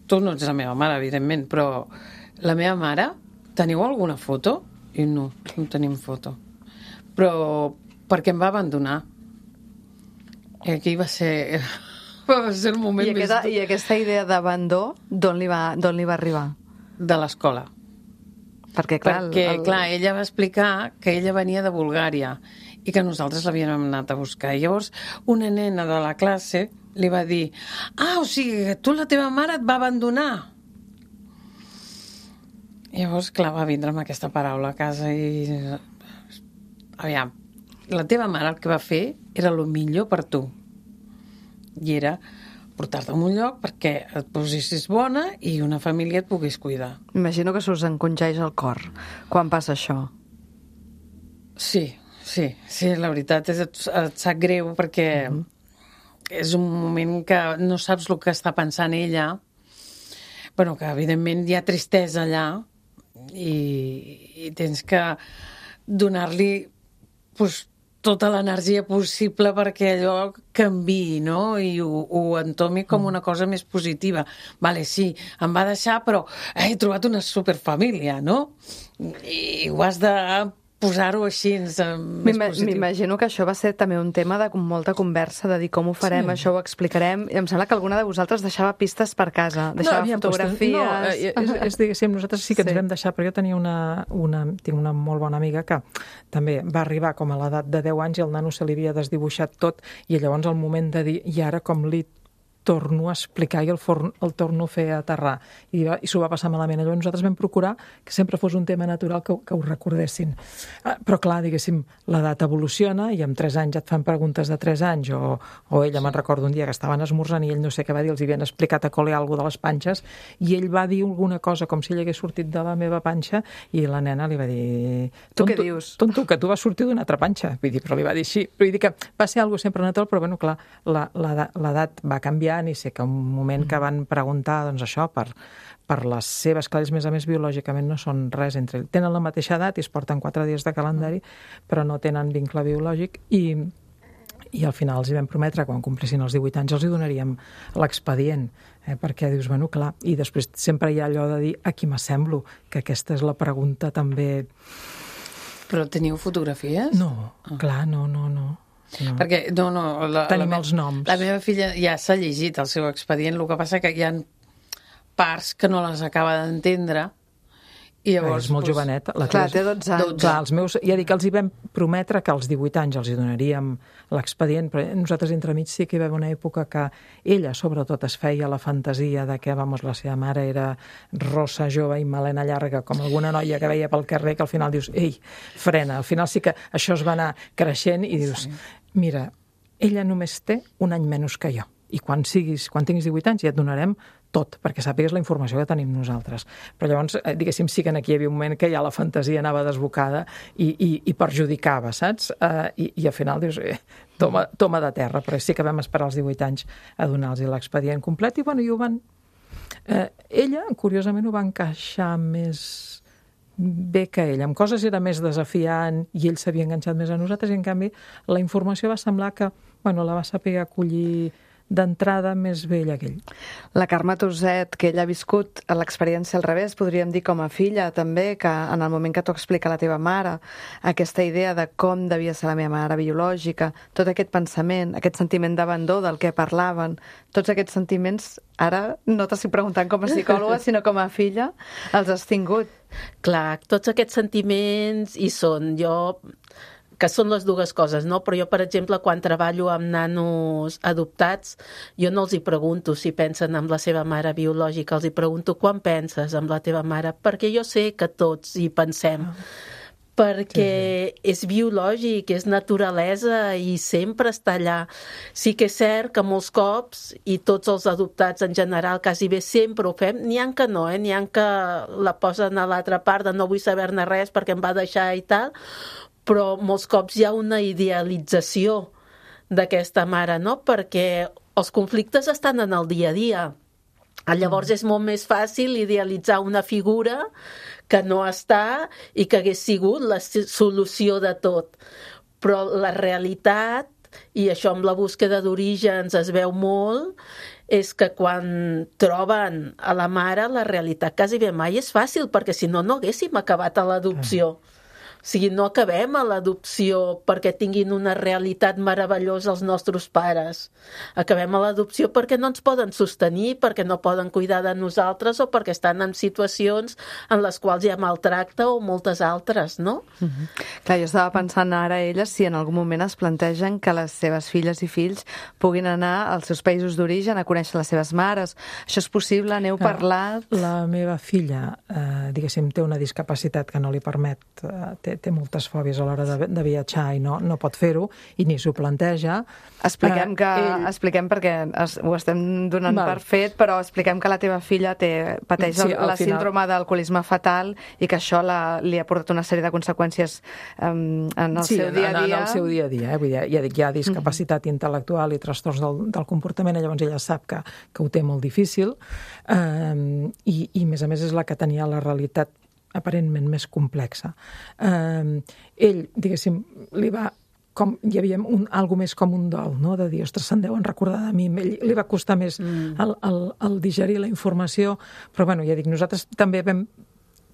tu no ets la meva mare, evidentment, però la meva mare, teniu alguna foto? I no tenim foto. Però perquè em va abandonar. I aquí va ser el moment més... I aquesta idea d'abandó, d'on li va arribar? De l'escola. Perquè, clar, ella va explicar que ella venia de Bulgària i que nosaltres l'havíem anat a buscar. I llavors, una nena de la classe li va dir: o sigui, que tu, la teva mare et va abandonar. I llavors, clar, va vindre amb aquesta paraula a casa i... Aviam, la teva mare el que va fer era el millor per tu. I era portar-te a un lloc perquè et posessis bona i una família et pogués cuidar. Imagino que s'us encongeix el cor quan passa això. Sí, la veritat és et sap greu perquè és un moment que no saps el que està pensant ella. Bueno, que evidentment hi ha tristesa allà i tens que donar-li tota l'energia possible perquè allò canviï, no? I ho entomi com una cosa més positiva. Vale, sí, em va deixar, però he trobat una superfamília, no? I ho has de posar-ho així, més positiu. M'imagino que això va ser també un tema de molta conversa, de dir com ho farem, això ho explicarem. I em sembla que alguna de vosaltres deixava pistes per casa, deixava fotografies... És diguéssim, nosaltres sí que ens vam deixar, però jo tenia tinc una molt bona amiga que també va arribar com a l'edat de 10 anys i el nano se li havia desdibuixat tot, i llavors al moment de dir, i ara com li torno a explicar i el torno a fer aterrar. I s'ho va passar malament. Llavors nosaltres vam procurar que sempre fos un tema natural que ho recordessin. Però clar, diguéssim, l'edat evoluciona i amb 3 anys et fan preguntes de 3 anys o ella, me'n recordo un dia que estaven esmorzant i ell no sé què va dir, els havien explicat a col·le alguna de les panxes i ell va dir alguna cosa com si ell hagués sortit de la meva panxa i la nena li va dir... Tu què dius? Tonto, que tu vas sortir d'una altra panxa. Vull dir, però li va dir així. Vull dir que va ser algo sempre natural, però bueno, clar, l'edat va canviar i sé que un moment que van preguntar doncs això, per les seves, clar, a més biològicament no són res entre ells. Tenen la mateixa edat i es porten 4 dies de calendari, però no tenen vincle biològic i al final els hi vam prometre que quan complissin els 18 anys els hi donaríem l'expedient, perquè dius, bueno, clar, i després sempre hi ha allò de dir a qui m'assemblo, que aquesta és la pregunta també... Però teniu fotografies? No, clar, no. No. Perquè, tenim els noms. La meva filla ja s'ha llegit el seu expedient, el que passa que hi ha parts que no les acaba d'entendre i llavors... És molt jovenet. Clar, té 12 anys. Clar, els meus, ja dic que els hi vam prometre que als 18 anys els hi donaríem l'expedient, però nosaltres entremig sí que hi va haver una època que ella, sobretot, es feia la fantasia de que, la seva mare era rossa, jove i melena llarga, com alguna noia que veia pel carrer, que al final dius, ei, frena. Al final sí que això es va anar creixent i dius, mira, ella només té un any menys que jo. I quan tinguis 18 anys ja et donarem tot, perquè sàpigues la informació que tenim nosaltres. Però llavors, diguéssim, sí que aquí hi havia un moment que ja la fantasia anava desbocada i perjudicava, saps? I al final dius, toma de terra, però sí que vam esperar els 18 anys a donar-los l'expedient complet i ho van... Ella, curiosament, ho va encaixar més bé que ell. Amb coses era més desafiant i ell s'havia enganxat més a nosaltres i, en canvi, la informació va semblar que la va saber acollir d'entrada més vella que ell. La Carme Tuset, que ella ha viscut l'experiència al revés, podríem dir com a filla també, que en el moment que t'ho explica la teva mare, aquesta idea de com devia ser la meva mare biològica, tot aquest pensament, aquest sentiment d'abandó del que parlaven, tots aquests sentiments, ara no t'estic preguntant com a psicòloga, sinó com a filla, els has tingut. Clar, tots aquests sentiments hi són. Jo que són les dues coses, no? Però jo, per exemple, quan treballo amb nanos adoptats, jo no els hi pregunto si pensen en la seva mare biològica, els hi pregunto quan penses en la teva mare, perquè jo sé que tots hi pensem. Perquè és biològic, és naturalesa i sempre està allà. Sí que és cert que molts cops, i tots els adoptats en general quasi bé sempre ho fem, n'hi ha que no, n'hi ha que la posen a l'altra part de no vull saber-ne res perquè em va deixar i tal, però molts cops hi ha una idealització d'aquesta mare, no? Perquè els conflictes estan en el dia a dia. Llavors és molt més fàcil idealitzar una figura que no està i que hagués sigut la solució de tot. Però la realitat, i això amb la búsqueda d'orígens es veu molt, és que quan troben a la mare, la realitat quasi bé mai és fàcil, perquè si no, no haguéssim acabat a l'adopció. O sigui, no acabem a l'adopció perquè tinguin una realitat meravellosa els nostres pares. Acabem a l'adopció perquè no ens poden sostenir, perquè no poden cuidar de nosaltres o perquè estan en situacions en les quals hi ha maltracte o moltes altres, no? Clar, jo estava pensant ara elles si en algun moment es plantegen que les seves filles i fills puguin anar als seus països d'origen a conèixer les seves mares. Això és possible? N'heu parlat? La meva filla, diguéssim, té una discapacitat que no li permet, té moltes fòbies a l'hora de viatjar i no pot fer-ho, i ni s'ho planteja. Expliquem perquè ho estem donant per fet, però expliquem que la teva filla pateix la síndrome d'alcoholisme fatal i que això li ha portat una sèrie de conseqüències en el seu dia a dia. En el seu dia a dia. Vull dir, ja dic, hi ha discapacitat intel·lectual i trastorns del comportament, llavors ella sap que ho té molt difícil, i a més és la que tenia la realitat aparentment més complexa. Ell, diguéssim, hi havia algo més com un dol, no? De dir, ostres, se'n deuen recordar de mi. Li va costar més el digerir la informació, però bueno, ja dic, nosaltres també vam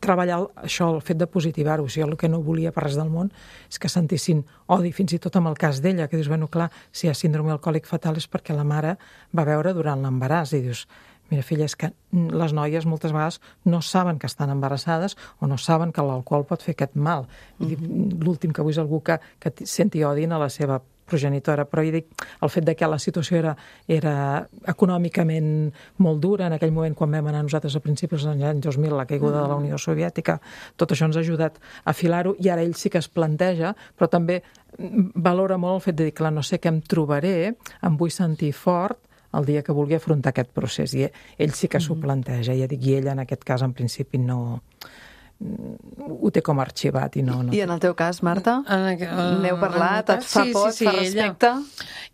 treballar això, el fet de positivar-ho. O sigui, el que no volia per res del món és que sentissin odi, fins i tot amb el cas d'ella, que dius, bueno, clar, si hi ha síndrome alcohòlic fatal és perquè la mare va veure durant l'embaràs, i dius, mira, filla, és que les noies moltes vegades no saben que estan embarassades o no saben que l'alcohol pot fer aquest mal. L'últim que vull és algú que senti odi a la seva progenitora, però jo dic, el fet de que la situació era econòmicament molt dura, en aquell moment quan vam anar nosaltres a principis dels anys 2000, la caiguda de la Unió Soviètica, tot això ens ha ajudat a afilar-ho, i ara ell sí que es planteja, però també valora molt el fet de dir, clar, no sé què em trobaré, em vull sentir fort el dia que vulgui afrontar aquest procés, i ell sí que s'ho planteja, ja dic, i ella en aquest cas en principi no ho té com arxivat i no. I en el teu cas, Marta? N'heu parlat? Et fa por, et fa respecte?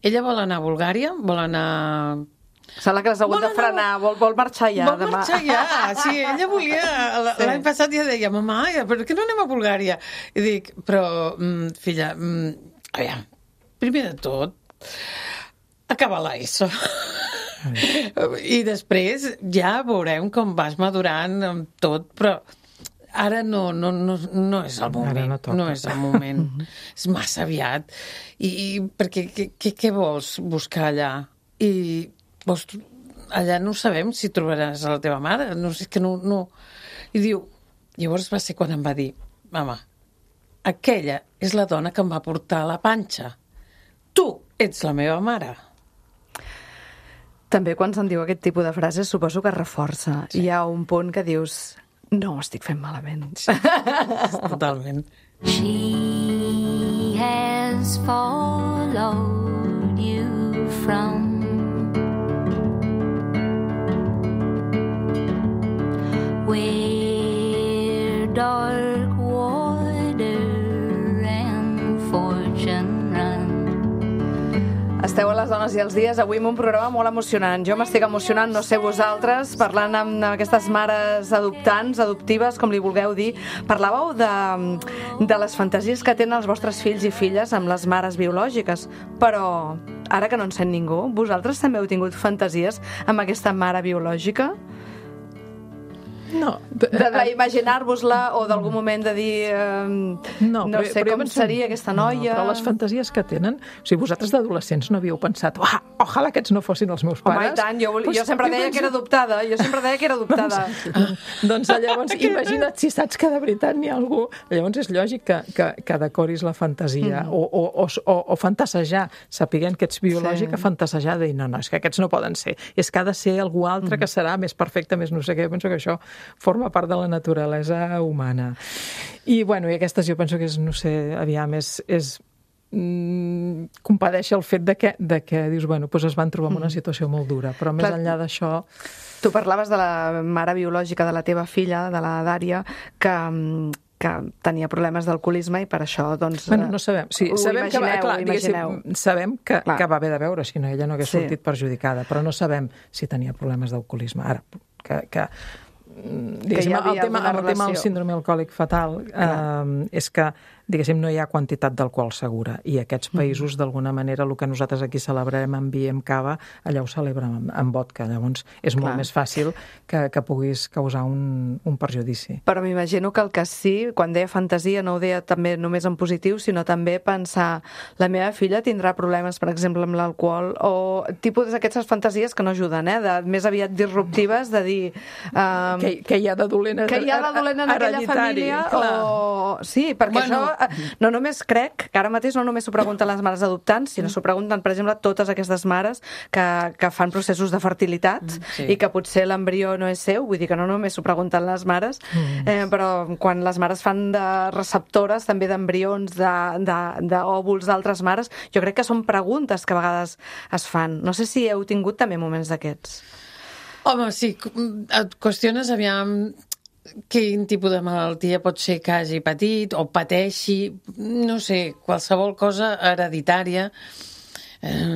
Ella vol anar a Bulgària, vol anar... Sembla que l'has hagut de frenar, vol marxar ja demà. Vol marxar ja, sí, ella volia... L'any passat ja deia, mamà, per què no anem a Bulgària? I dic, però, filla, aviam, primer de tot, acaba l'ESO. I després ja veurem com vas madurant amb tot, però ara no és el moment. No és el moment. És massa aviat. I perquè què vols buscar allà? I allà no sabem si trobaràs a la teva mare. No sé, que no... I diu... Llavors va ser quan em va dir, mama, aquella és la dona que em va portar a la panxa. Tu ets la meva mare. També quan se'n diu aquest tipus de frases suposo que reforça. Sí. Hi ha un punt que dius, no ho estic fent malament. Sí. Totalment. She has followed you from where dark water and fortune run. Esteu a Les Dones i els Dies, avui amb un programa molt emocionant. Jo m'estic emocionant, no sé vosaltres, parlant amb aquestes mares adoptants, adoptives, com li vulgueu dir. Parlàveu de les fantasies que tenen els vostres fills i filles amb les mares biològiques, però ara que no en sent ningú, vosaltres també heu tingut fantasies amb aquesta mare biològica? d'imaginar-vos-la o d'algun moment de dir no sé com seria aquesta noia. Però les fantasies que tenen, o sigui, vosaltres d'adolescents no havíeu pensat ojalà aquests no fossin els meus pares? Home, i tant, jo sempre deia que era adoptada, Doncs llavors, imagina't si saps que de veritat n'hi ha algú, llavors és lògic que decoris la fantasia o fantasejar, sapiguent que ets biològic, a fantasejar de dir, no, és que aquests no poden ser, és que ha de ser algú altre que serà més perfecte, més no sé què. Jo penso que això forma part de la naturalesa humana. I, bueno, i aquestes jo penso que és, no sé, aviam, compadeix el fet de que dius, bueno, doncs es van trobar en una situació molt dura, però més enllà d'això... Tu parlaves de la mare biològica de la teva filla, de la Dària, que tenia problemes d'alcoholisme i per això, doncs... Bueno, no sabem. Sí, sabem que va haver de veure, si no ella no hagués sortit perjudicada, però no sabem si tenia problemes d'alcoholisme. Ara, diguéssim, el tema del síndrome alcohòlic fatal és que, diguéssim, no hi ha quantitat d'alcohol segura i aquests països, d'alguna manera, el que nosaltres aquí celebrarem amb vi i amb cava, allà ho celebren amb vodka. Llavors és molt més fàcil que puguis causar un perjudici. Però m'imagino que el que sí, quan deia fantasia, no ho deia també només en positiu, sinó també pensar, la meva filla tindrà problemes, per exemple, amb l'alcohol, o tipus d'aquestes fantasies que no ajuden, més aviat disruptives, de dir... Que hi ha de dolent en aquella família, o... Sí, perquè això... No només crec que ara mateix no només s'ho pregunten les mares adoptants, sinó s'ho pregunten, per exemple, totes aquestes mares que fan processos de fertilitat i que potser l'embrió no és seu, vull dir que no només s'ho pregunten les mares, però quan les mares fan de receptores també d'embrions, d'òvuls d'altres mares, jo crec que són preguntes que a vegades es fan. No sé si heu tingut també moments d'aquests. Home, sí, et qüestiones, aviam, quin tipus de malaltia pot ser que hagi patit o pateixi, no sé, qualsevol cosa hereditària,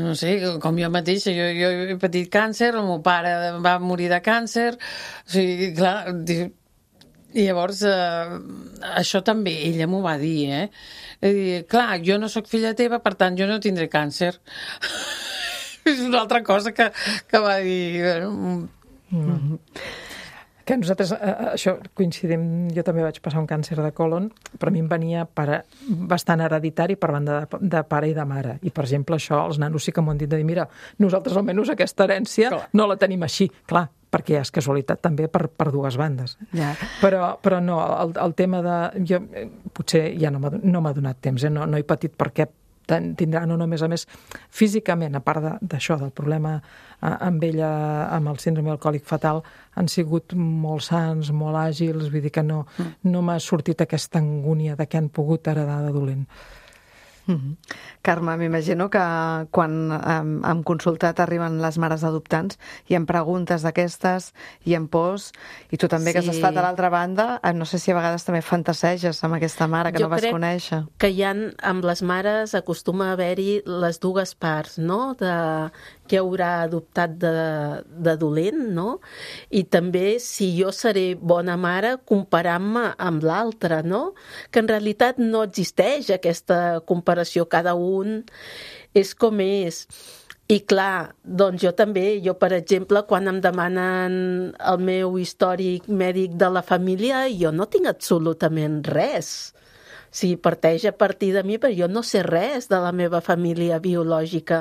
no sé, com jo mateixa, jo he patit càncer, el meu pare va morir de càncer, o sigui, clar, i llavors això també ella m'ho va dir, clar, jo no sóc filla teva, per tant jo no tindré càncer. És una altra cosa que va dir... Que nosaltres, això coincidim, jo també vaig passar un càncer de còlon, però a mi em venia bastant hereditari per banda de pare i de mare. I, per exemple, això, els nanos sí que m'ho han dit de dir, mira, nosaltres almenys aquesta herència no la tenim així, clar, perquè és casualitat també per dues bandes. Però no, el tema de... Jo potser ja no m'ha donat temps, no he patit perquè tindrà no només, a més, físicament, a part d'això, del problema amb ella, amb el síndrome alcohòlic fatal, han sigut molt sans, molt àgils, vull dir que no m'ha sortit aquesta angúnia de què han pogut heredar de dolent. Carme, m'imagino que quan en consulta t'arriben les mares adoptants i en preguntes d'aquestes i en pors, i tu també que has estat a l'altra banda, no sé si a vegades també fantaseges amb aquesta mare que no vas conèixer. Jo crec que amb les mares acostuma a haver-hi les dues parts, no?, de què haurà adoptat de dolent, no? I també si jo seré bona mare comparant-me amb l'altra, no? Que en realitat no existeix aquesta comparació, cada un és com és. I clar, doncs jo, per exemple, quan em demanen el meu històric mèdic de la família, jo no tinc absolutament res. Sí, parteix a partir de mi, però jo no sé res de la meva família biològica.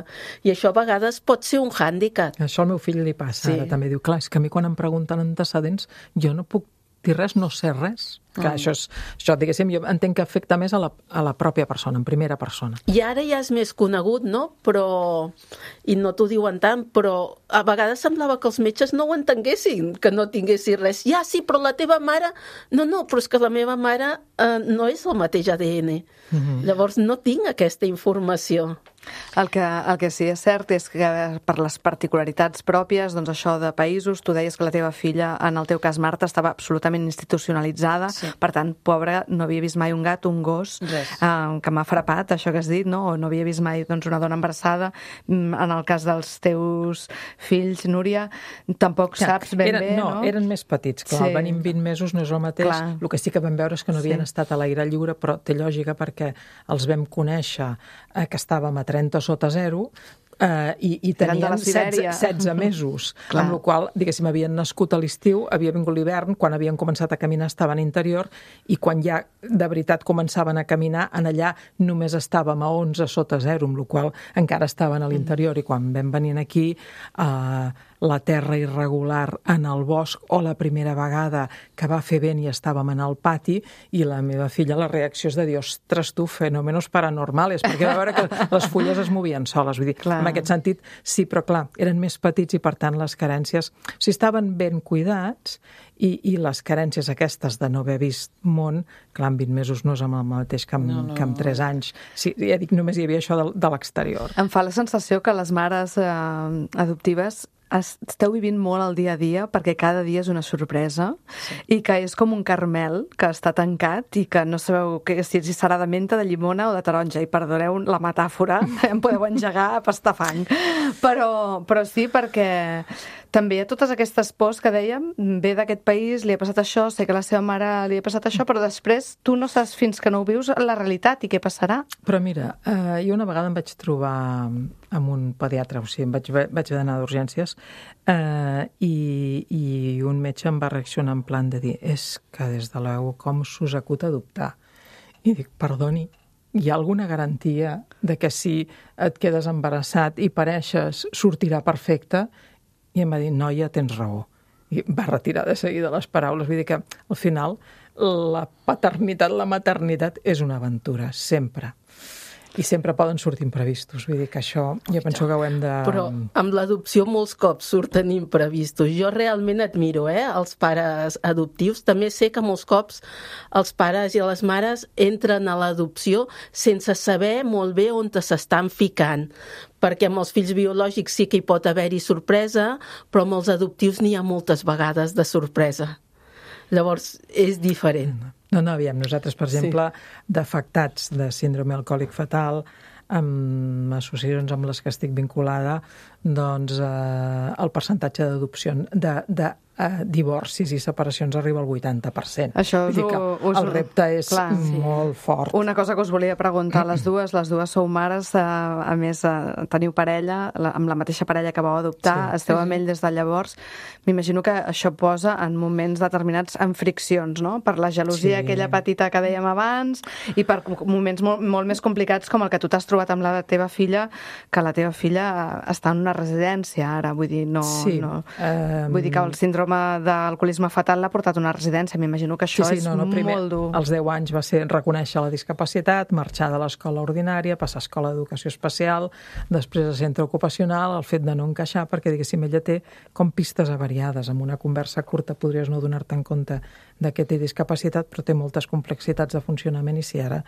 I això a vegades pot ser un hàndicap. Això al meu fill li passa, ara també diu, clar, és que a mi quan em pregunten antecedents, jo no puc dir res, no sé res. Clar, això, diguéssim, jo entenc que afecta més a la pròpia persona, en primera persona. I ara ja és més conegut, no? I no t'ho diuen tant, però a vegades semblava que els metges no ho entenguessin, que no tinguessin res. Ja, sí, però la teva mare... No, però és que la meva mare no és el mateix ADN. Llavors no tinc aquesta informació. El que sí és cert és que per les particularitats pròpies, doncs això de països, tu deies que la teva filla, en el teu cas Marta, estava absolutament institucionalitzada, per tant, pobra, no havia vist mai un gat, un gos, que m'ha frapat, això que has dit, no? O no havia vist mai una dona embarassada. En el cas dels teus fills, Núria, tampoc saps ben bé, no? No, eren més petits, clar, venim 20 mesos, no és el mateix. El que sí que vam veure és que no havien estat a l'aire lliure, però té lògica perquè els vam conèixer que estàvem a 30 sota 0, i Eren de la tenien Sibèria. 16 mesos, Clar. amb la qual, diguéssim, havien nascut a l'estiu, havia vingut l'hivern, quan havien començat a caminar estaven a interior, i quan ja de veritat començaven a caminar, en allà només estàvem a 11 sota 0, amb la qual encara estaven a l'interior, i quan vam venir aquí, la terra irregular en el bosc, o la primera vegada que va fer vent i estàvem en el pati, i la meva filla, la reacció és de dir, ostres, tu, fenòmenos paranormals, perquè va veure que les fulles es movien soles, vull dir, en aquest sentit, sí, però clar, eren més petits i per tant les carències, si estaven ben cuidats, i les carències aquestes de no haver vist món, clar, en 20 mesos no és amb el mateix que amb 3 anys. Sí, ja dic, només hi havia això de l'exterior. Em fa la sensació que les mares adoptives esteu vivint molt el dia a dia perquè cada dia és una sorpresa i que és com un caramel que està tancat i que no sabeu si serà de menta, de llimona o de taronja, i perdoneu la metàfora, em podeu engegar a pastar fang, però sí, perquè també hi ha totes aquestes pors que dèiem, ve d'aquest país, li ha passat això, sé que a la seva mare li ha passat això, però després tu no saps fins que no ho vius la realitat i què passarà. Però mira, jo una vegada em vaig trobar amb un pediatre, o sigui, vaig anar d'urgències, i un metge em va reaccionar en plan de dir, és que des de l'EU com s'us acut adoptar? I dic, perdoni, hi ha alguna garantia de que si et quedes embarassat i pareixes sortirà perfecte? I em va dir, noia, tens raó. I va retirar de seguida les paraules. Vull dir que, al final, la paternitat, la maternitat és una aventura, sempre. I sempre poden sortir imprevistos. Vull dir que això, jo penso que ho hem de... Però amb l'adopció molts cops surten imprevistos. Jo realment admiro els pares adoptius. També sé que molts cops els pares i les mares entren a l'adopció sense saber molt bé on s'estan ficant. Perquè amb els fills biològics sí que hi pot haver-hi sorpresa, però amb els adoptius n'hi ha moltes vegades de sorpresa. Llavors, és diferent. No, aviam, nosaltres, per exemple, d'afectats de síndrome alcohòlic fatal, amb associacions amb les que estic vinculada, doncs el percentatge d'adopció, de divorcis i separacions arriba al 80%. Això el repte és molt fort. Una cosa que us volia preguntar a les dues sou mares, a més teniu parella, amb la mateixa parella que vau adoptar, esteu amb ell des de llavors. M'imagino que això posa en moments determinats en friccions, no? Per la gelosia aquella petita que dèiem abans i per moments molt més complicats com el que tu t'has trobat amb la teva filla, que la teva filla està en una residència ara, vull dir, vull dir que el síndrome d'alcoholisme fatal l'ha portat a una residència. M'imagino que això és molt dur. Als 10 anys va ser reconèixer la discapacitat, marxar de l'escola ordinària, passar a escola d'educació especial, després a centre ocupacional, el fet de no encaixar, perquè, diguéssim, ella té com pistes avariades. Amb una conversa curta podries no donar-te en compte que té discapacitat, però té moltes complexitats de funcionament, i si ara,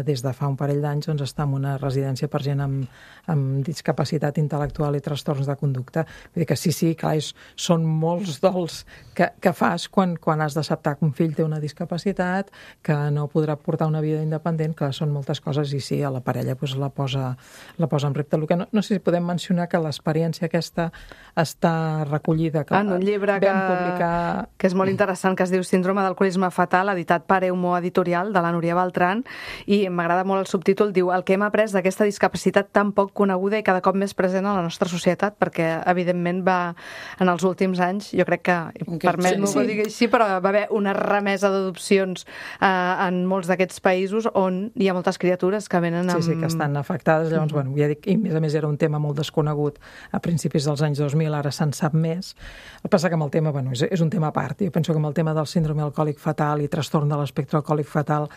des de fa un parell d'anys, doncs està en una residència per gent amb discapacitat intel·lectual i trastorns de conducta. Vull dir que sí, clar, són molts dols que fas quan has d'acceptar que un fill té una discapacitat, que no podrà portar una vida independent, que són moltes coses, i sí, a la parella la posa en repte. El que no sé si podem mencionar que l'experiència aquesta està recollida en un llibre que és molt interessant, que es diu Síndrome d'alcoholisme fatal, editat per Eumo Editorial, de la Núria Beltrán, i m'agrada molt el subtítol, diu: el que hem après d'aquesta discapacitat tan poc coneguda i cada cop més present a la nostra societat, perquè evidentment en els últims anys, jo crec que, permet-m'ho que ho digui així, però va haver una remesa d'adopcions en molts d'aquests països on hi ha moltes criatures que venen amb... Sí, que estan afectades. Llavors, ja dic, i a més era un tema molt desconegut a principis dels anys 2000, ara se'n sap més. El que passa que amb el tema, és un tema a part. Jo penso que amb el tema del síndrome alcohòlic fatal i trastorn de l'espectre alcohòlic fatal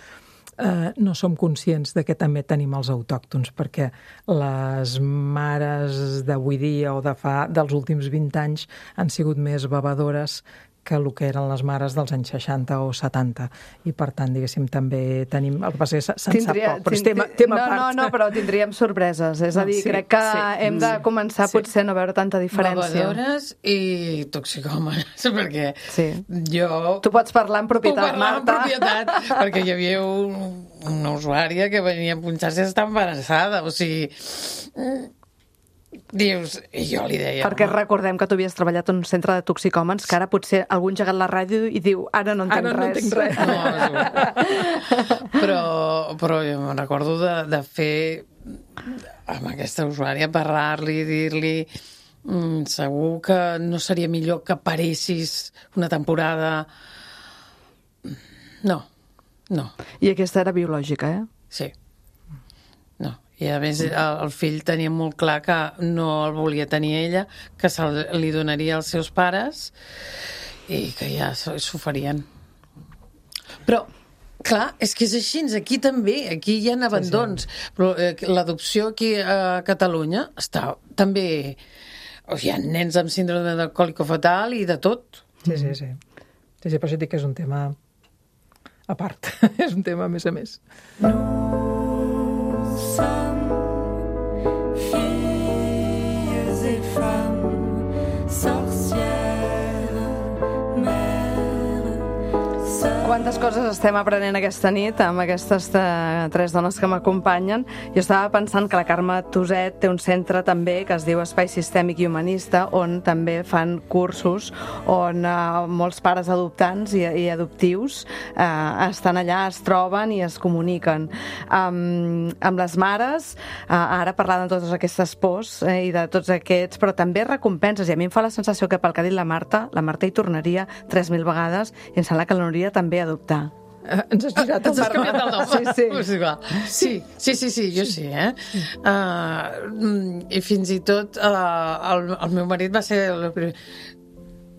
no som conscients de que també tenim els autòctons, perquè les mares d'avui dia o dels últims 20 anys han sigut més bevedores que el que eren les mares dels anys 60 o 70. I, per tant, diguéssim, també tenim... El que passa és que se'n sap poc, però és tema a part. No, però tindríem sorpreses. És a dir, crec que hem de començar potser a no veure tanta diferència. Bevedores i toxicòmanes, perquè jo... Tu pots parlar en propietat, Marta. Perquè hi havia una usuària que venia a punxar-se i està embarassada. O sigui... dius, i jo li deia... Perquè recordem que tu havies treballat en un centre de toxicòmens, que ara potser algú ha engegat la ràdio i diu, ara no entenc res. No entenc res. No, però jo me'n recordo de fer amb aquesta usuària, parlar-li, dir-li segur que no seria millor que paressis una temporada... No. I aquesta era biològica, Sí. No. I a més el fill tenia molt clar que no el volia tenir ella, que li donaria als seus pares i que ja s'ho farien. Però, clar, és que és així, aquí també, aquí hi ha abandons, però l'adopció aquí a Catalunya està també... Hi ha nens amb síndrome de còlico-fetal i de tot. Sí, però això dic que és un tema a part. És un tema a més. Nous sommes filles et femmes, sorcières, mères, sœurs. Quantes coses estem aprenent aquesta nit amb aquestes tres dones que m'acompanyen. Jo estava pensant que la Carme Tuset té un centre també que es diu Espai Sistèmic i Humanista, on també fan cursos on molts pares adoptants i adoptius estan allà, es troben i es comuniquen. Amb les mares, ara parlant de totes aquestes pors i de tots aquests, però també recompenses, i a mi em fa la sensació que pel que ha dit la Marta hi tornaria 3.000 vegades i em sembla que l'aniria també a adoptar. Ens has girat el nom. Sí, jo sí, i fins i tot el meu marit va ser el primer.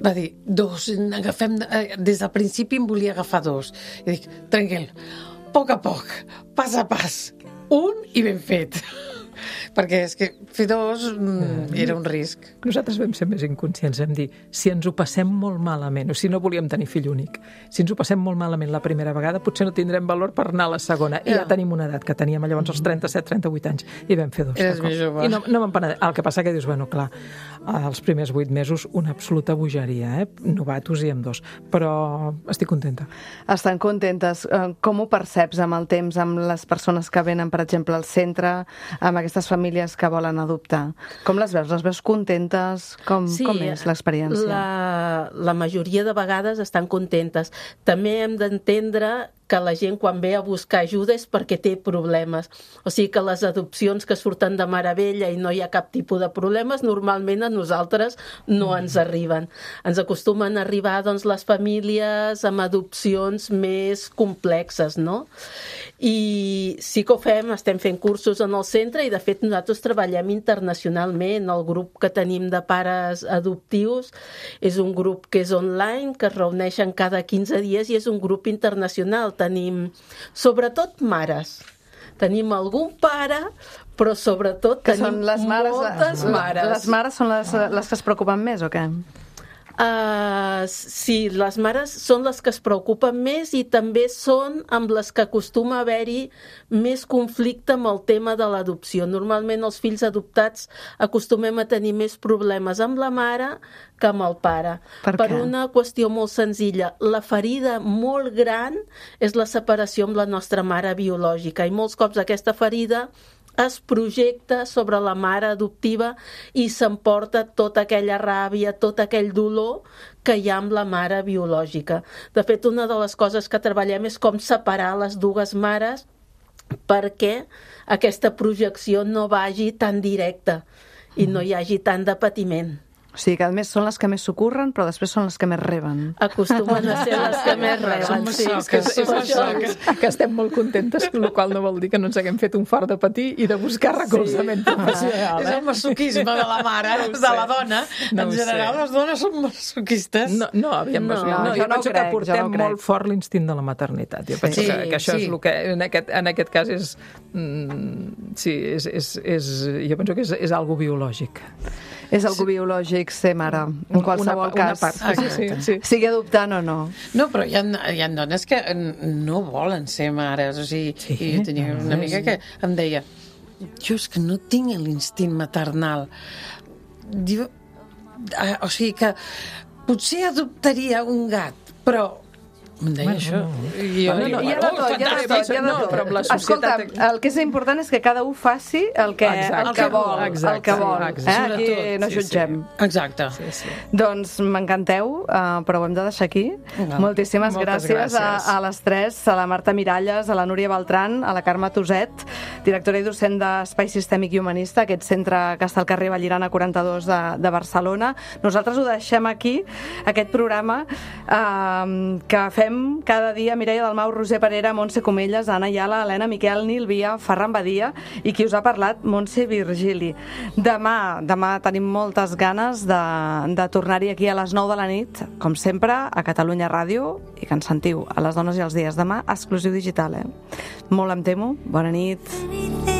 Va dir, 2, agafem... Des del principi em volia agafar 2. I dic, tranquil, a poc, pas a pas. 1 i ben fet. Perquè és que fer 2 era un risc. Nosaltres vam ser més inconscients, vam dir, si ens ho passem molt malament, o si no volíem tenir fill únic, si ens ho passem molt malament la primera vegada, potser no tindrem valor per anar a la segona. I ja tenim una edat, que teníem llavors els 37-38 anys, i vam fer 2. Eres més jove. I no me'n penedeixo. El que passa que dius, bueno, clar, els primers 8 mesos, una absoluta bogeria, novatos i amb 2. Però estic contenta. Estan contentes. Com ho perceps amb el temps, amb les persones que venen, per exemple, al centre, amb aquestes famílies que volen adoptar? Com les veus? Les veus contentes? Com és l'experiència? La majoria de vegades estan contentes. També hem d'entendre que la gent quan ve a buscar ajuda és perquè té problemes. O sigui que les adopcions que surten de meravella i no hi ha cap tipus de problemes, normalment a nosaltres no ens arriben. Ens acostumen a arribar doncs, les famílies amb adopcions més complexes, no? I sí que ho fem, estem fent cursos en el centre i de fet nosaltres treballem internacionalment. El grup que tenim de pares adoptius és un grup que és online, que es reuneixen cada 15 dies i és un grup internacional. Tenim, sobretot, mares. Tenim algun pare, però sobretot que tenim moltes mares. Les mares són les que es preocupen més, o què? Sí, les mares són les que es preocupen més i també són amb les que acostuma a haver-hi més conflicte amb el tema de l'adopció. Normalment els fills adoptats acostumem a tenir més problemes amb la mare que amb el pare. Per una qüestió molt senzilla. La ferida molt gran és la separació amb la nostra mare biològica i molts cops aquesta ferida es projecta sobre la mare adoptiva i s'emporta tota aquella ràbia, tot aquell dolor que hi ha amb la mare biològica. De fet, una de les coses que treballem és com separar les dues mares perquè aquesta projecció no vagi tan directa i no hi hagi tant de patiment. O sigui que a més són les que més s'ocorren, però després són les que més reben. Acostumen a ser les que més reben. Que estem molt contentes, el qual no vol dir que no ens haguem fet un fart de patir i de buscar recolzament professional. És el masoquisme de la mare, de la dona. En general, les dones són masoquistes. No, jo penso que portem molt fort l'instint de la maternitat. Jo penso que això és el que en aquest cas és... Sí, jo penso que és algo biològic. És algo biològic ser mare, en qualsevol cas. Sí. Sigui adoptant o no. No, però hi ha dones que no volen ser mares. O sigui, jo tenia una amiga que em deia, jo és que no tinc l'instint maternal. Diu, o sigui que potser adoptaria un gat, però Em deia això. I jo dic, Hi ha de tot, hi ha de tot, hi ha de No, tot. però amb la Escolta, societat... el que és important és que cada un faci el que vol, el que vol. Aquí no jutgem. Exacte. Doncs m'encanteu, però ho hem de deixar aquí. Moltíssimes Moltes gràcies a les tres, a la Marta Miralles, a la Núria Beltran, a la Carme Toset, directora i docent d'Espai Sistèmic i Humanista, aquest centre que està al carrer Vallirana 42 de Barcelona. Nosaltres ho deixem aquí, aquest programa que fem cada dia Mireia Dalmau, Roser Parera, Montse Comelles, Anna Iala, Helena Miquel, Nil Via, Ferran Badia i qui us ha parlat, Montse Virgili. Demà tenim moltes ganes de tornar-hi aquí a les 9 de la nit, com sempre, a Catalunya Ràdio, i que ens sentiu a les dones i els dies. Demà, exclusiu digital, Molt em temo. Bona nit.